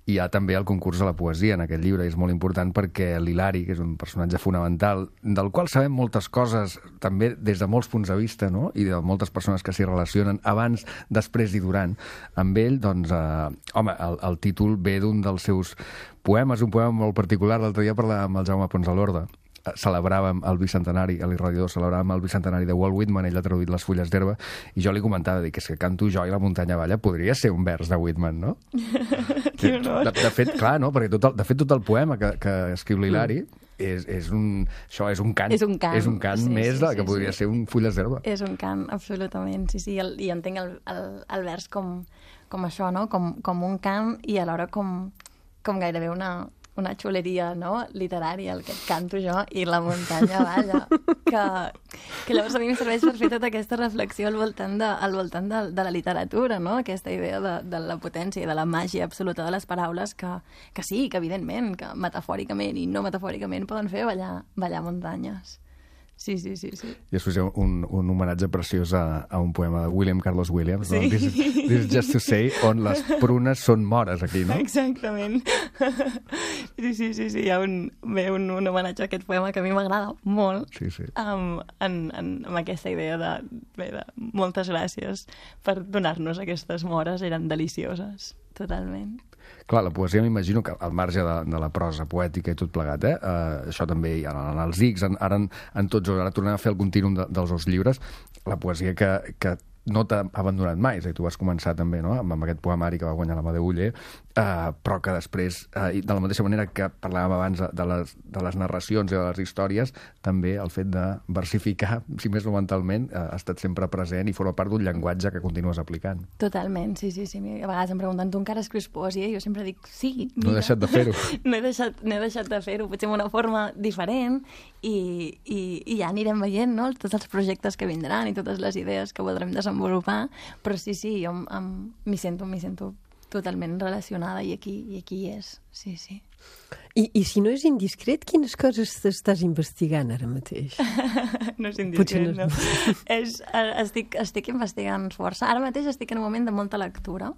Hi ha també el concurs de la poesia en aquest llibre, i és molt important perquè l'Hilari, que és un personatge fonamental, del qual sabem moltes coses, també des de molts punts de vista, no?, i de moltes persones que s'hi relacionen abans, després i durant. Amb ell, doncs, eh, home, el, el títol ve d'un dels seus poemes, un poema molt particular. L'altre dia parlàvem amb el Jaume Pons de l'Orde. Celebràvem el bicentenari, a l'Irradiador celebràvem el bicentenari de Walt Whitman, ell ha traduït Les fulles d'herba, i jo li comentava, dic, és que Canto jo i la muntanya balla podria ser un vers de Whitman, no? Que honor. De, de fet, clar, no? Perquè tot el, de fet tot el poema que, que escriu l'Hilari és, és un, això és un cant. És un cant. És un cant sí, més sí, del que sí, podria sí. ser un fulles d'herba. És un cant, absolutament, sí, sí, el, i entenc el, el, el vers com, com això, no? Com, com un cant i alhora com, com gairebé una... una xuleria, no?, literària, el que canto jo, i la muntanya balla, que, que llavors a mi em serveix per fer tota aquesta reflexió al voltant de, al voltant de, de la literatura, no?, aquesta idea de, de la potència i de la màgia absoluta de les paraules, que, que sí, que evidentment, que metafòricament i no metafòricament poden fer ballar, ballar muntanyes. Sí, sí, sí, sí. I després hi ha un, un homenatge preciós a, a un poema de William Carlos Williams, sí. no? This, this is just to say, on les prunes són mores aquí, no? Exactament. Sí, sí, sí, sí. Hi ha un, bé, un, un homenatge a aquest poema que a mi m'agrada molt, sí, sí. Um, en, en, amb aquesta idea de, bé, de moltes gràcies per donar-nos aquestes mores, eren delicioses, totalment. Clar, la poesia m'imagino que al marge de, de la prosa poètica i tot plegat, eh? Uh, això també hi ha en els Ics, en, ara en, en tots, ara tornem a fer el contínuum de, dels dos llibres, la poesia que, que no t'ha abandonat mai, és a dir, tu vas començar també, no?, amb, amb aquest poemari que va guanyar l'Amadeu Oller, eh, però que després, eh, de la mateixa manera que parlàvem abans de les, de les narracions i de les històries, també el fet de versificar, si més no mentalment, eh, ha estat sempre present i forma part d'un llenguatge que continues aplicant. Totalment, sí, sí, sí. A vegades em pregunten, tu encara escrius poesia? I jo sempre dic, sí, mira. No he deixat de fer-ho. no, he deixat, no he deixat de fer-ho, potser en una forma diferent, i, i, i ja anirem veient, no?, tots els projectes que vindran i totes les idees que voldrem desenvolupar, però sí, sí, jo m'hi sento, m'hi sento totalment relacionada i aquí, i aquí és, sí, sí. I, I si no és indiscret, quines coses estàs investigant ara mateix? No és indiscret, no. no. és, estic, estic investigant força. Ara mateix estic en un moment de molta lectura,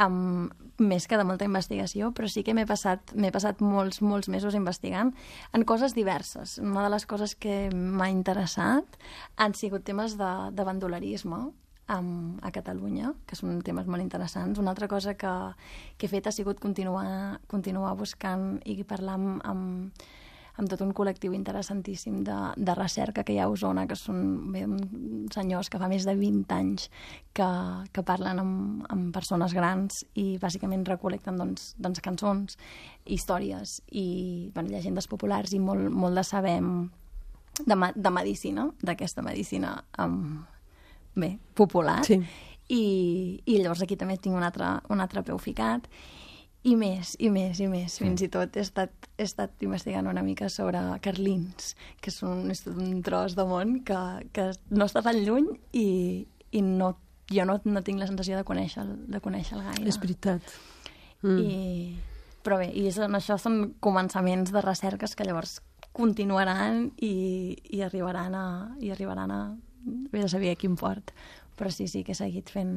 um, més que de molta investigació, però sí que m'he passat, m'he passat molts, molts mesos investigant en coses diverses. Una de les coses que m'ha interessat han sigut temes de, de bandolerisme, Um, a Catalunya, que són temes molt interessants. Una altra cosa que, que he fet ha sigut continuar, continuar buscant i parlar amb, amb, amb tot un col·lectiu interessantíssim de, de recerca que hi ha a Osona, que són bé, senyors que fa més de vint anys que, que parlen amb, amb persones grans i bàsicament recolecten doncs, doncs, cançons, històries i bueno, llegendes populars i molt, molt de saber de, de medicina, d'aquesta medicina um, bé, popular, sí. I, i llavors aquí també tinc un altre, un altre peu ficat, i més, i més, i més. Fins i tot he estat, he estat investigant una mica sobre carlins, que és un, és un tros de món que, que no està tan lluny i, i no, jo no, no tinc la sensació de conèixer-el de conèixer gaire. És veritat. Mm. I, però bé, i són, això són començaments de recerques que llavors continuaran i, i arribaran a... I arribaran a vés a saber a quin port, però sí, sí que he seguit fent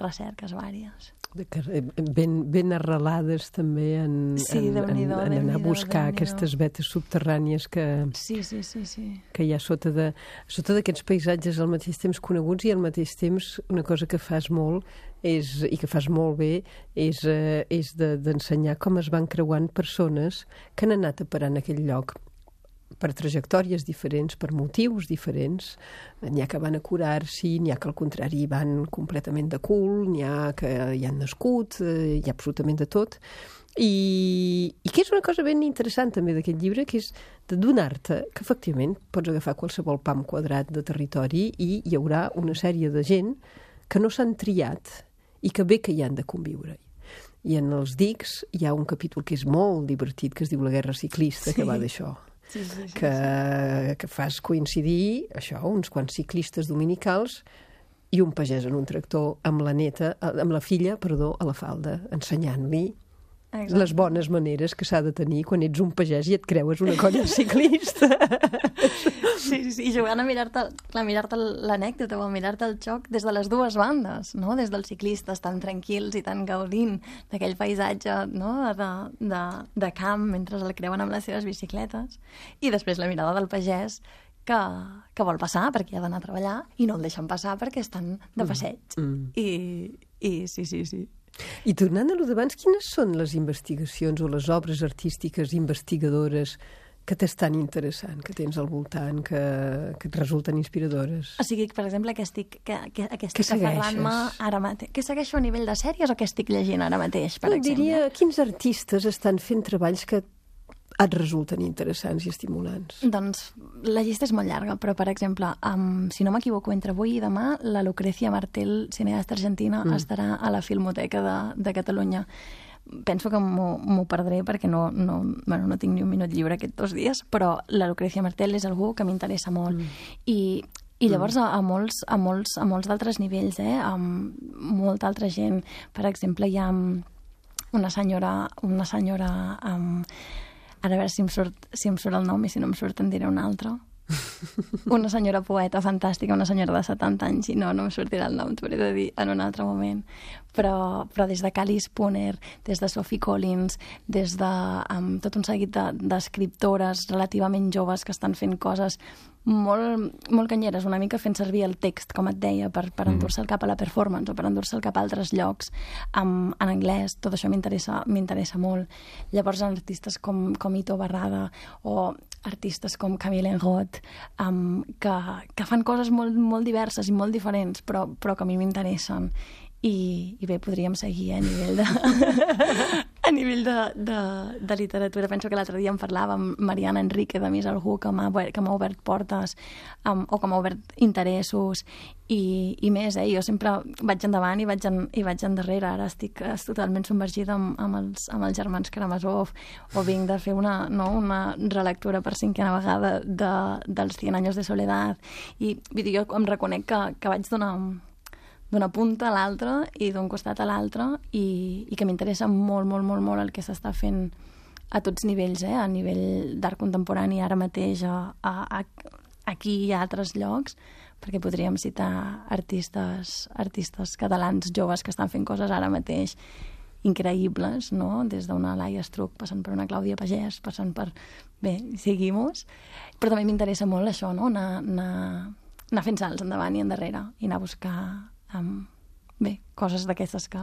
recerques vàries. Ben, ben arrelades també en, sí, en, en, en anar a buscar aquestes vetes subterrànies que, sí, sí, sí, sí. que hi ha sota de, sota d'aquests paisatges al mateix temps coneguts i al mateix temps una cosa que fas molt és, i que fas molt bé és, eh, és de, d'ensenyar com es van creuant persones que han anat a parar en aquell lloc per trajectòries diferents, per motius diferents. N'hi ha que van a curar-s'hi, n'hi ha que al contrari van completament de cul, n'hi ha que hi han nascut, hi ha absolutament de tot. I, i que és una cosa ben interessant també d'aquest llibre, que és de donar-te que efectivament pots agafar qualsevol pam quadrat de territori i hi haurà una sèrie de gent que no s'han triat i que bé que hi han de conviure. I en els dics hi ha un capítol que és molt divertit, que es diu La guerra ciclista, sí. que va d'això. Sí, sí, sí, que, sí. que fas coincidir això, uns quants ciclistes dominicals i un pagès en un tractor amb la neta, amb la filla, perdó, a la falda, ensenyant-li Exacte. Les bones maneres que s'ha de tenir quan ets un pagès i et creues una colla ciclista. Sí, sí, sí, i jugant a mirar-te a mirar-te l'anècdota o a mirar-te el xoc des de les dues bandes, no? Des dels ciclistes tan tranquils i tan gaudint d'aquell paisatge, no? de, de, de camp mentre el creuen amb les seves bicicletes, i després la mirada del pagès que, que vol passar perquè ha d'anar a treballar i no el deixen passar perquè estan de passeig. Mm. Mm. I, I sí, sí, sí. I tornant a lo d'abans, quines són les investigacions o les obres artístiques investigadores que t'estan interessant, que tens al voltant, que, que et resulten inspiradores? O sigui, per exemple, que estic, que, que, que estic aferrant-me ara mateix. Què segueixo a nivell de sèries o què estic llegint ara mateix, per no, exemple? Diria, quins artistes estan fent treballs que et resulten interessants i estimulants? Doncs la llista és molt llarga, però, per exemple, um, si no m'equivoco, entre avui i demà, la Lucrecia Martel, cineasta argentina, mm. estarà a la Filmoteca de, de Catalunya. Penso que m'ho perdré perquè no, no, bueno, no tinc ni un minut lliure aquests dos dies, però la Lucrecia Martel és algú que m'interessa molt. Mm. I, i llavors a, a molts, a molts, a molts d'altres nivells, eh? Amb molta altra gent. Per exemple, hi ha una senyora... Una senyora um, ara a veure si em, surt, si em surt el nom i si no em surt en diré un altre. Una senyora poeta fantàstica, una senyora de setanta anys, i no, no em sortirà el nom, t'ho hauré de dir en un altre moment. Però, però des de Cali Spooner, des de Sophie Collins, des de um, tot un seguit d'escriptores de, relativament joves que estan fent coses molt, molt canyeres, una mica fent servir el text, com et deia, per, per endur-se'l cap a la performance o per endur-se'l cap a altres llocs um, en anglès. Tot això m'interessa m'interessa molt. Llavors artistes com, com Ito Barrada o artistes com Camille Enroth, um, que, que fan coses molt, molt diverses i molt diferents, però, però que a mi m'interessen. I, i bé, podríem seguir a nivell de, a nivell de, de, de literatura. Penso que l'altre dia en parlava amb Mariana Enrique de Més Algú, que m'ha que m'ha obert portes um, o que m'ha obert interessos i, i més, eh? Jo sempre vaig endavant i vaig, en, i vaig endarrere. Ara estic, estic totalment submergida amb, amb, els, amb els germans Karamazov, o vinc de fer una, no, una relectura per cinquena vegada de, dels Cien años de soledad, i vull dir, jo em reconec que, que vaig donar d'una punta a l'altra i d'un costat a l'altre, i, i que m'interessa molt, molt, molt, molt el que s'està fent a tots nivells, eh? A nivell d'art contemporani ara mateix, a, a, a, aquí i a altres llocs, perquè podríem citar artistes, artistes catalans joves que estan fent coses ara mateix increïbles, no? Des d'una Laia Estruc, passant per una Clàudia Pagès, passant per... Bé, seguimos. Però també m'interessa molt això, no? Anar, anar, anar fent salts endavant i endarrere i anar a buscar Um, bé, coses d'aquestes que,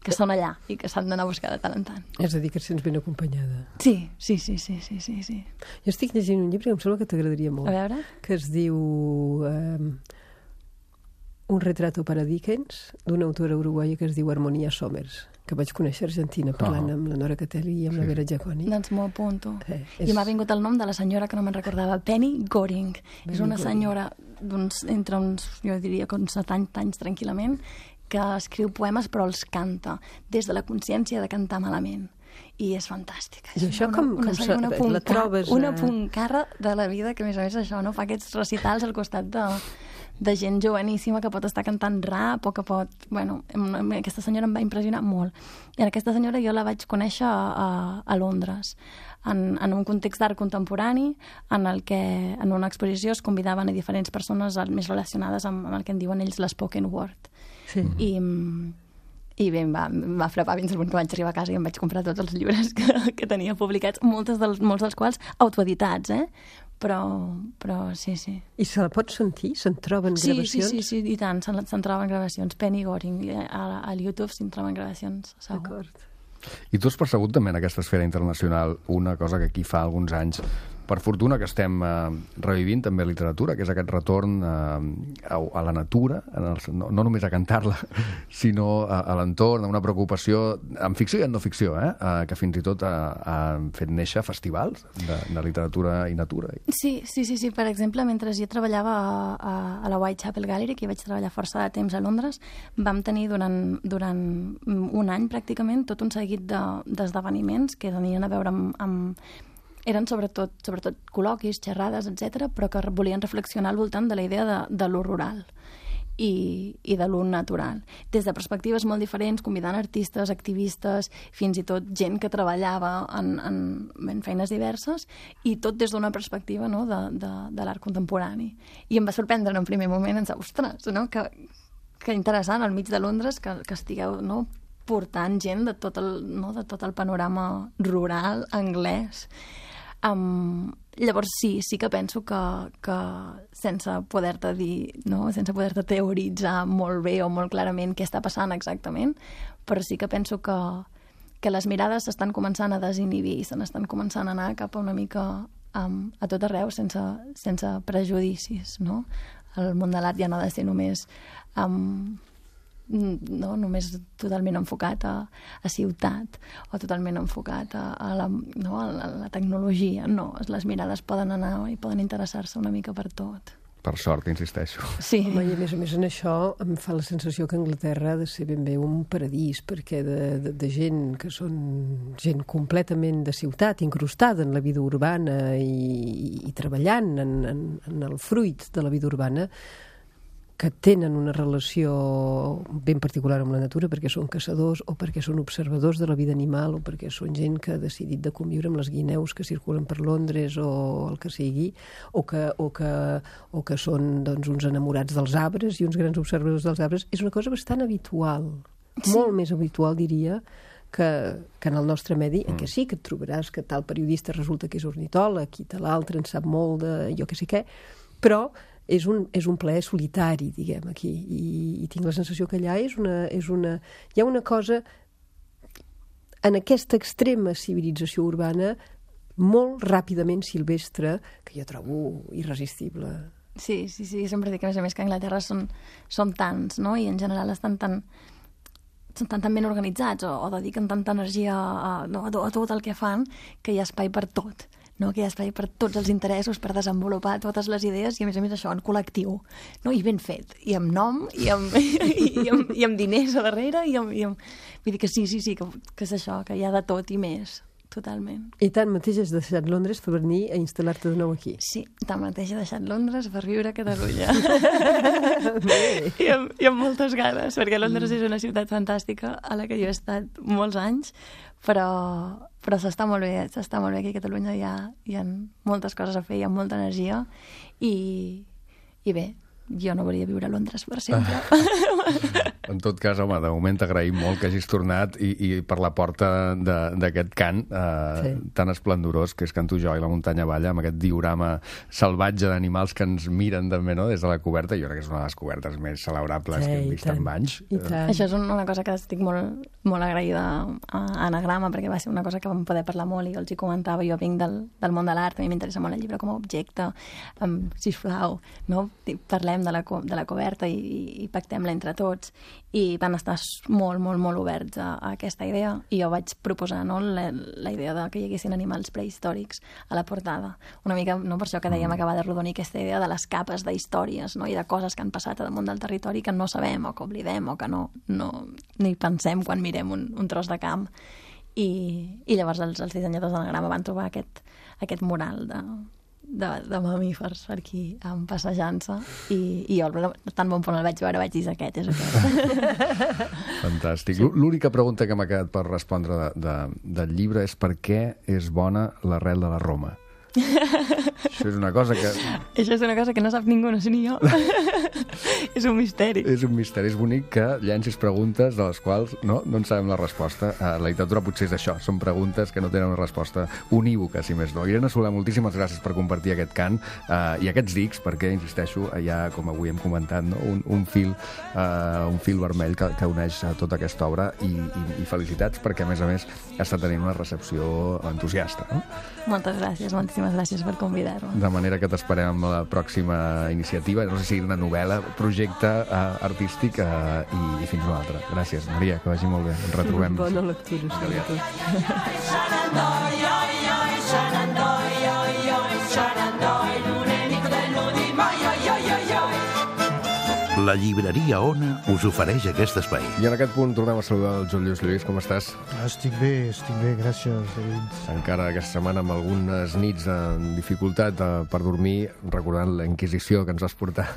que són allà i que s'han d'anar a buscar de tant en tant. És a dir, que et sents ben acompanyada. Sí, sí, sí, sí, sí, sí, sí. Jo estic llegint un llibre que em sembla que t'agradaria molt. A veure? Que es diu um, Un retrato para Dickens, d'una autora uruguaia que es diu Harmonia Somers, que vaig conèixer a Argentina parlant oh. amb la Nora Catelli i amb sí. la Vera Giaconi. Doncs m'ho apunto. Eh, és... I m'ha vingut el nom de la senyora que no me'n recordava, Penny Goring. Penny és una Goring. Senyora d'uns, entre uns, jo diria que uns setanta anys tranquil·lament, que escriu poemes però els canta, des de la consciència de cantar malament. I és fantàstica. I això com, una, com una, una puncar, la trobes? Una puncarra de la vida, que a més a més això, no? Fa aquests recitals al costat de, de gent joveníssima que pot estar cantant rap o que pot... Bueno, aquesta senyora em va impressionar molt. I aquesta senyora jo la vaig conèixer a, a, a Londres, en, en un context d'art contemporani, en el que en una exposició es convidaven a diferents persones més relacionades amb, amb el que en diuen ells l'espoken word. Sí. I... I bé, em va, em va frapar fins al punt que vaig arribar a casa i em vaig comprar tots els llibres que, que tenia publicats, moltes dels, molts dels quals autoeditats, eh? Però, però sí, sí. I se la pots sentir? Se'n troben sí, gravacions? Sí, sí, sí, i tant, se'n, se'n troben gravacions. Penny Goring, a, a YouTube se'n troben gravacions, segur. D'acord. I tu has percebut també en aquesta esfera internacional una cosa que aquí fa alguns anys, per fortuna que estem eh, revivint també la literatura, que és aquest retorn eh, a, a la natura, en el, no, no només a cantar-la, sinó a, a l'entorn, a una preocupació en ficció i en no ficció, eh, eh, que fins i tot han fet néixer festivals de, de literatura i natura. Sí, sí, sí, sí. Per exemple, mentre jo treballava a, a la Whitechapel Gallery, que hi vaig treballar força de temps a Londres, vam tenir durant, durant un any pràcticament tot un seguit de, d'esdeveniments que tenien a veure amb, amb eren sobretot, sobretot col·loquis, xerrades, etcètera, però que volien reflexionar al voltant de la idea de, de lo rural i, i de lo natural. Des de perspectives molt diferents, convidant artistes, activistes, fins i tot gent que treballava en, en, en feines diverses, i tot des d'una perspectiva, no, de, de, de l'art contemporani. I em va sorprendre en un primer moment, en ostres, no? que, que interessant, al mig de Londres, que, que estigueu, no, portant gent de tot el, no, de tot el panorama rural anglès. Um, llavors sí, sí que penso que, que sense poder-te dir, no? sense poder-te teoritzar molt bé o molt clarament què està passant exactament, però sí que penso que, que les mirades s'estan començant a desinhibir i se n'estan començant a anar cap a una mica um, a tot arreu sense, sense prejudicis, no? El món de l'art ja no ha de ser només um, no només totalment enfocat a, a ciutat o totalment enfocat a, a, la, no, a, la, a la tecnologia. No, les mirades poden anar i poden interessar-se una mica per tot. Per sort, insisteixo. Sí. Home, i a més a més en això em fa la sensació que Anglaterra ha de ser ben bé un paradís, perquè de, de, de gent que són gent completament de ciutat, incrustada en la vida urbana i, i treballant en, en, en el fruit de la vida urbana, que tenen una relació ben particular amb la natura perquè són caçadors o perquè són observadors de la vida animal o perquè són gent que ha decidit de conviure amb les guineus que circulen per Londres o el que sigui, o que, o que, o que són doncs, uns enamorats dels arbres i uns grans observadors dels arbres. És una cosa bastant habitual, sí. Molt més habitual, diria, que, que en el nostre medi, en què sí que et trobaràs que tal periodista resulta que és ornitòleg i tal altre en sap molt de jo que sé què, però és un, és un plaer solitari, diguem, aquí. I, i tinc la sensació que allà és una, és una... Hi ha una cosa... En aquesta extrema civilització urbana molt ràpidament silvestre, que jo trobo irresistible. Sí, sí, sí, sempre dic que a més a més que a Anglaterra són, són tants, no? I en general estan tan, són tan, tan ben organitzats o, o dediquen tanta energia a, no, a, a tot el que fan que hi ha espai per tot, no? Que hi ha espai per tots els interessos, per desenvolupar totes les idees i a més a més això en col·lectiu, no? I ben fet, i amb nom, i amb, i, i amb, i amb diners a darrere, i amb, i amb... vull dir que sí, sí, sí, que, que és això, que hi ha de tot i més. Totalment. I tanmateix has deixat Londres per venir a instal·lar-te de nou aquí. Sí, tanmateix he deixat Londres per viure a Catalunya. I, amb, I amb moltes ganes, perquè Londres és una ciutat fantàstica a la que jo he estat molts anys, però, però s'està molt bé, s'està molt bé aquí a Catalunya, hi ha, hi ha moltes coses a fer, hi ha molta energia, i, i bé, jo no volia viure a Londres per sempre. En tot cas, home, de moment t'agraïm molt que hagis tornat i, i per la porta d'aquest cant eh, sí. tan esplendorós que és Cantujoa i la muntanya balla, amb aquest diorama salvatge d'animals que ens miren també, no?, des de la coberta. Jo crec que és una de les cobertes més celebrables sí, que hem vist en anys. Això és una cosa que estic molt, molt agraïda a Anagrama, perquè va ser una cosa que vam poder parlar molt i els hi comentava. Jo vinc del, del món de l'art, a mi m'interessa molt el llibre com a objecte. Um, sisplau, no? Parlem de la, de la coberta i, i pactem-la entre tots, i van estar molt, molt, molt oberts a, a aquesta idea, i jo vaig proposar, no, la, la idea de que hi haguessin animals prehistòrics a la portada. Una mica, no, per això que dèiem acabar de rodonir aquesta idea de les capes d'històries, no, i de coses que han passat a damunt del territori que no sabem o que oblidem o que no, no ni pensem quan mirem un, un tros de camp. I, i llavors els, els dissenyadors d'Anagrama van trobar aquest, aquest mural de De, de mamífers per aquí passejant-se, i, i jo tan bon punt el vaig veure vaig dir aquest, és aquest. Fantàstic. Sí. L'única pregunta que m'ha quedat per respondre de, de, del llibre és per què és bona l'arrel de la Roma. Això és una cosa que... Això és una cosa que no sap ningú, no sé ni jo. És un misteri. És un misteri. És bonic que llencis preguntes de les quals no, no en sabem la resposta. La literatura potser és això. Són preguntes que no tenen una resposta unívoca, si més no. Irene Soler, moltíssimes gràcies per compartir aquest cant eh, i aquests dics, perquè, insisteixo, hi ha, com avui hem comentat, no? un, un, fil, eh, un fil vermell que, que uneix tota aquesta obra, i, i, i felicitats perquè, a més a més, està tenint una recepció entusiasta. No? Moltes gràcies, moltíssimes gràcies per convidar-me. De manera que t'esperem amb la pròxima iniciativa, no sé si una novel·la, projecte uh, artístic, uh, i, i fins una altra. Gràcies, Maria, que vagi molt bé. Ens retrobem. Bona lectura. La llibreria Ona us ofereix aquest espai. I en aquest punt tornem a saludar el Joan Lluís. Lluís, com estàs? Estic bé, estic bé, gràcies, David. Encara aquesta setmana amb algunes nits de dificultat eh, per dormir, recordant la Inquisició que ens vas portar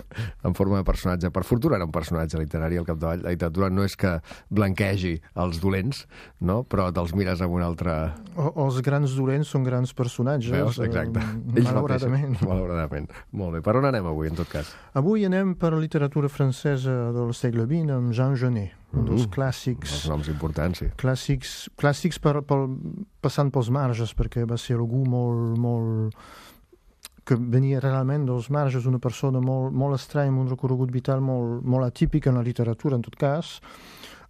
en forma de personatge. Per fortuna era un personatge literari al capdavall. La literatura no és que blanquegi els dolents, no? Però te'ls mires amb un altre... O, els grans dolents són grans personatges. Veus? Exacte. Eh, malauradament. Malauradament. Molt bé. Per on anem avui, en tot cas? Avui anem per literatura francesa del segle vint amb Jean Genet, un dels uh, clàssics... Els noms importants, sí. Clàssics, clàssics per, per, passant pels marges, perquè va ser algú molt, molt... que venia realment dels marges, una persona molt, molt estranya, amb un recorregut vital molt, molt atípic en la literatura, en tot cas.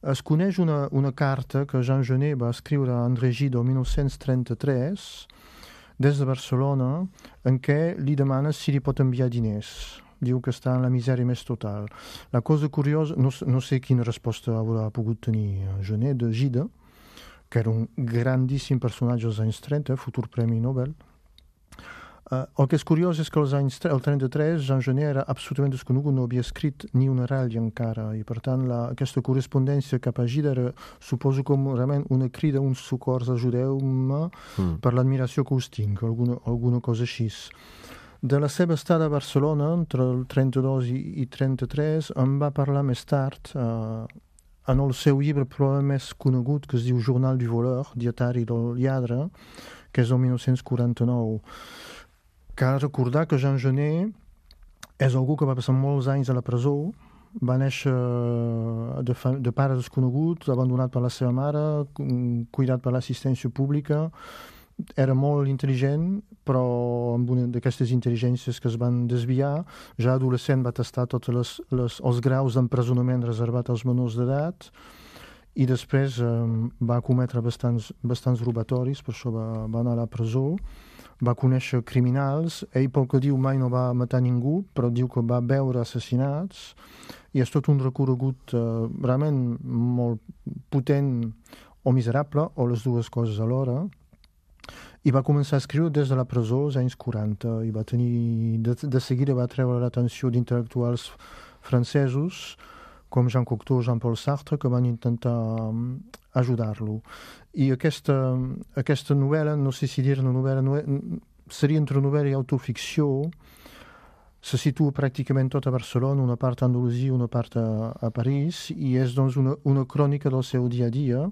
Es coneix una, una carta que Jean Genet va escriure a André Gide el mil nou-cents trenta-tres, des de Barcelona, en què li demana si li pot enviar diners. Diu que està en la misèria més total. La cosa curiosa, no, no sé quina resposta haurà pogut tenir Genet de Gide, que era un grandíssim personatge als anys trenta, futur Premi Nobel. Uh, el que és curiós és que als anys el trenta-tres Jean Genet era absolutament desconegut, no havia escrit ni una ratlla encara, i per tant la, aquesta correspondència cap a Gide era, suposo, com realment una crida, un socors, ajudeu-me mm. per l'admiració que us tinc, alguna, alguna cosa així. De la seva estada a Barcelona, entre el trenta-dos i, i trenta-tres, em va parlar més tard, eh, en el seu llibre probablement més conegut, que es diu Journal du voleur, dietari del lladre, que és el mil nou-cents quaranta-nou. Cal recordar que Jean Genet és algú que va passar molts anys a la presó, va néixer de, fa, de pare desconegut, abandonat per la seva mare, cuidat per l'assistència pública. Era molt intel·ligent, però amb una d'aquestes intel·ligències que es van desviar. Ja adolescent va tastar tots les, les, els graus d'empresonament reservat als menors d'edat, i després eh, va cometre bastants, bastants robatoris, per això va, va anar a la presó, va conèixer criminals, ell pel que diu mai no va matar ningú, però diu que va veure assassinats, i és tot un recorregut eh, realment molt potent o miserable, o les dues coses alhora, i va començar a escriure des de la presó als anys quaranta, i va tenir, de, de seguida va treure l'atenció d'intel·lectuals francesos, com Jean Cocteau, Jean-Paul Sartre, que van intentar ajudar-lo. I aquesta, aquesta novel·la, no sé si dir-ne novel·la, novel·la, seria entre novel·la i autoficció, se situa pràcticament tot a Barcelona, una part a Andalusia, una part a, a París, i és doncs una, una crònica del seu dia a dia,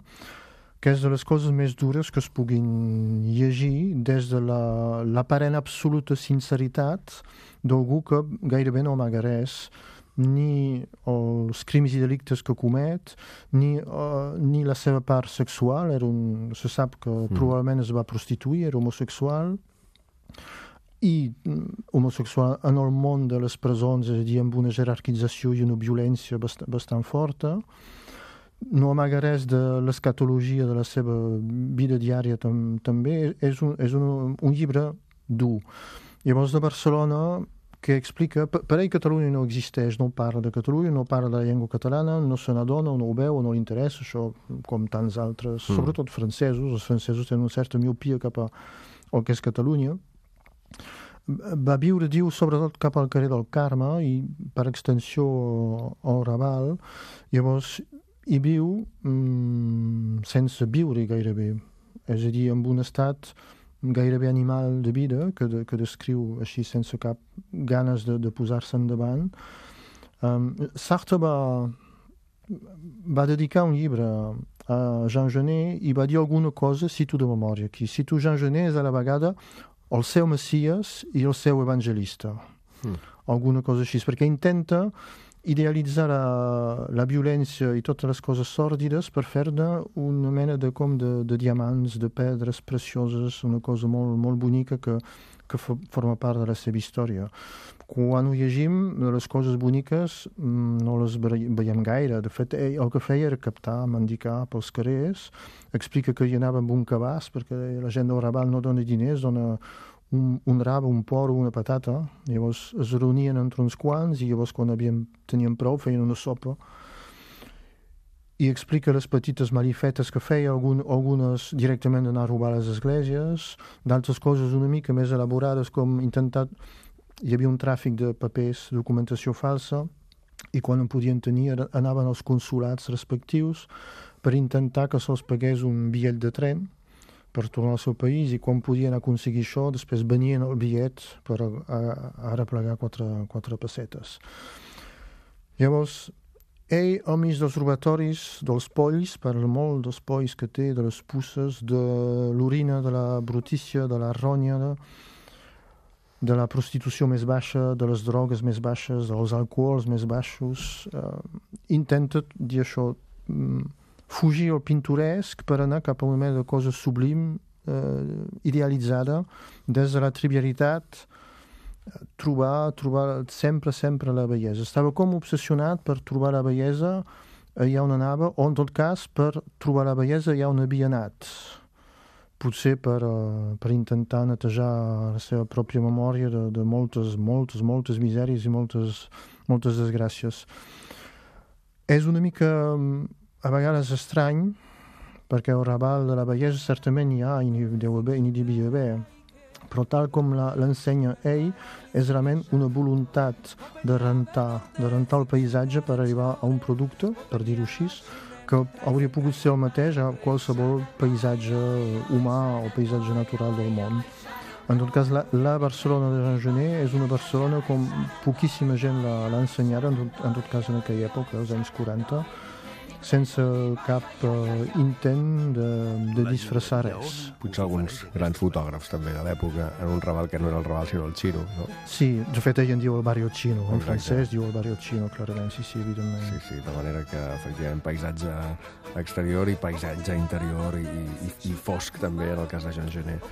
que és de les coses més dures que es puguin llegir des de la, l'aparent absoluta sinceritat d'algú que gairebé no amaga res, ni els crims i delictes que comet, ni, uh, ni la seva part sexual. Era un, se sap que mm. probablement es va prostituir, era homosexual, i homosexual en el món de les presons, és a dir, amb una jerarquització i una violència bast bastant forta. No amaga res de l'escatologia de la seva vida diària tam també. És, un, és un, un llibre dur. Llavors, de Barcelona, que explica... Per, per ell Catalunya no existeix, no parla de Catalunya, no parla de la llengua catalana, no se n'adona, no ho veu, no li interessa, això com tants altres, mm. sobretot francesos. Els francesos tenen una certa miopia cap a el que és Catalunya. Va viure, diu, sobretot cap al carrer del Carme i, per extensió, al Raval. Llavors, hi viu mm, sense viure gairebé, és a dir, amb un estat gairebé animal de vida que, de, que descriu així sense cap ganes de, de posar-se endavant. Um, Sartre va, va dedicar un llibre a Jean Genet i va dir alguna cosa, cito de memòria aquí, cito Jean Genet és a la vegada el seu Messies i el seu evangelista. Mm. Alguna cosa així, perquè intenta idealitzar la, la violència i totes les coses sòrdides per fer-ne una mena de, com de, de diamants, de pedres precioses, una cosa molt, molt bonica que, que forma part de la seva història. Quan ho llegim, les coses boniques no les veiem gaire. De fet, ell el que feia era captar, mendicar pels carrers, explica que hi anava amb un cabàs, perquè la gent del Raval no dona diners, dona un, un rab, un porro, una patata. Llavors es reunien entre uns quants i llavors quan havien, tenien prou feien una sopa. I explica les petites malifetes que feia, algun, algunes directament d'anar a robar a les esglésies, d'altres coses una mica més elaborades com intentar... Hi havia un tràfic de papers, documentació falsa, i quan en podien tenir anaven als consulats respectius per intentar que se'ls pagués un bitllet de tren per tornar al seu país, i quan podien aconseguir això, després venien el bitllet per a, a, a arreplegar quatre, quatre pessetes. Llavors, ell, al mig dels robatoris, dels polls, parla molt dels polls que té, de les puces, de l'orina, de la brutícia, de la ronya, de, de la prostitució més baixa, de les drogues més baixes, dels alcohols més baixos. Eh, intenta dir això, fugir al pintoresc per anar cap a una mena de cosa sublim, eh, idealitzada, des de la trivialitat, trobar, trobar sempre, sempre la bellesa. Estava com obsessionat per trobar la bellesa allà on anava, o en tot cas per trobar la bellesa allà on havia anat. Potser per, uh, per intentar netejar la seva pròpia memòria de, de moltes, moltes, moltes misèries i moltes, moltes desgràcies. És una mica... a vegades estrany, perquè el Raval de la bellesa certament hi ha i n'hi deu haver i n'hi devia haver, però tal com l'ensenya ell, és realment una voluntat de rentar, de rentar el paisatge per arribar a un producte, per dir-ho així, que hauria pogut ser el mateix a qualsevol paisatge humà o paisatge natural del món. En tot cas, la, la Barcelona de Jean Genet és una Barcelona com poquíssima gent l'ha ensenyada, en tot, en tot cas en aquella època, als anys quaranta, sense cap uh, intent de, de disfressar res. Potser alguns grans fotògrafs també de l'època, en un Raval que no era el Raval sinó el Chino, no? Sí, de fet ell en diu el Barrio Chino, en francès diu el Barrio Chino, clarament, sí, sí, evidentment. Sí, sí, de manera que efectivament paisatge exterior i paisatge interior i, i, i fosc també en el cas de Jean Genet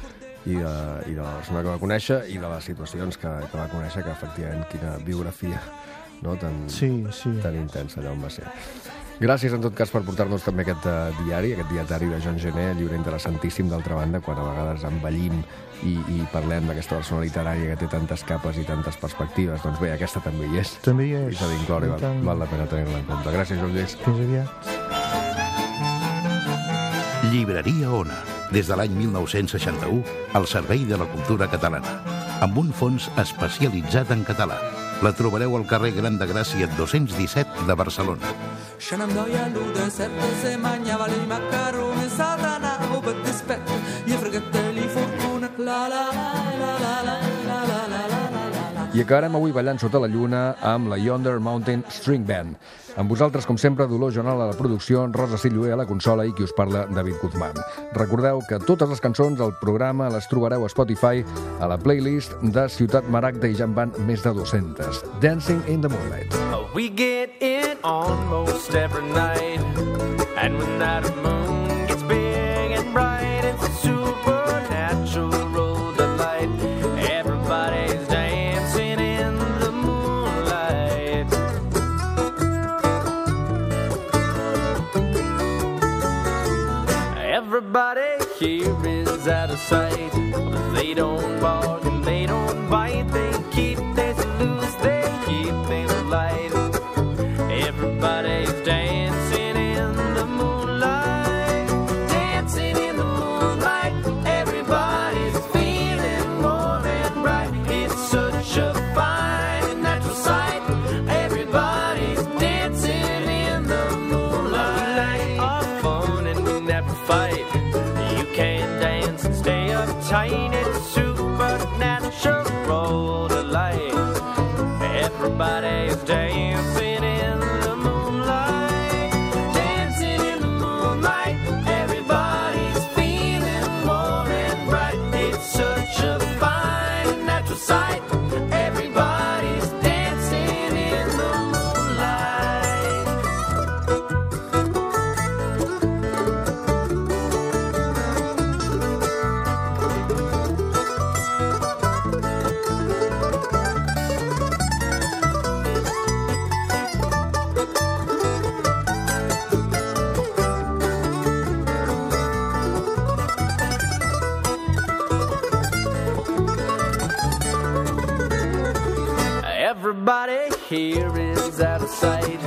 i de, i de la persona que va conèixer i de les situacions que, que va conèixer, que efectivament quina biografia, no? tan, sí, sí. tan intensa allà on va ser. Gràcies, en tot cas, per portar-nos també aquest uh, diari, aquest dietari de Jean Genet, llibre interessantíssim, d'altra banda, quan a vegades envellim i, i parlem d'aquesta persona literària que té tantes capes i tantes perspectives. Doncs bé, aquesta també hi és. També hi és. I s'ha d'incloure, val, tant... val la pena tenir-la en compte. Gràcies, Joan Lluís. Fins aviat. Llibreria Ona, des de l'any mil nou-cents seixanta-u, al servei de la cultura catalana, amb un fons especialitzat en català. La trobareu al carrer Gran de Gràcia dos-cents disset de Barcelona. Scenandoia luda, sempre se mangiava i macaroni, satanavo per dispetto, gli fratelli fortuna, la la la la la la la la la. I acabarem avui ballant sota la lluna amb la Yonder Mountain String Band. Amb vosaltres, com sempre, Dolors Jonal a la producció, Rosa Sillué a la consola i qui us parla, David Guzmán. Recordeu que totes les cançons del programa les trobareu a Spotify a la playlist de Ciutat Maragda i ja en van més de dues-centes. Dancing in the Moonlight. We get it almost every night, and when that moon gets big and bright, it's a supernatural delight. Everybody's dancing in the moonlight. Everybody here is out of sight, but they don't bark and they don't bite. They keep things loose, they keep things light. Everybody's dancing in the moonlight, dancing in the moonlight. Everybody's feeling warm and bright. It's such a fine natural sight. Everybody's dancing in the moonlight. We like our fun and we never fight. You can dance and stay uptight. It's supernatural delight. Everybody's dancing in the moonlight, dancing in the moonlight. Everybody's feeling warm and bright. It's such a fine natural sight. Everybody's dancing in the moonlight. Everybody here is out of sight.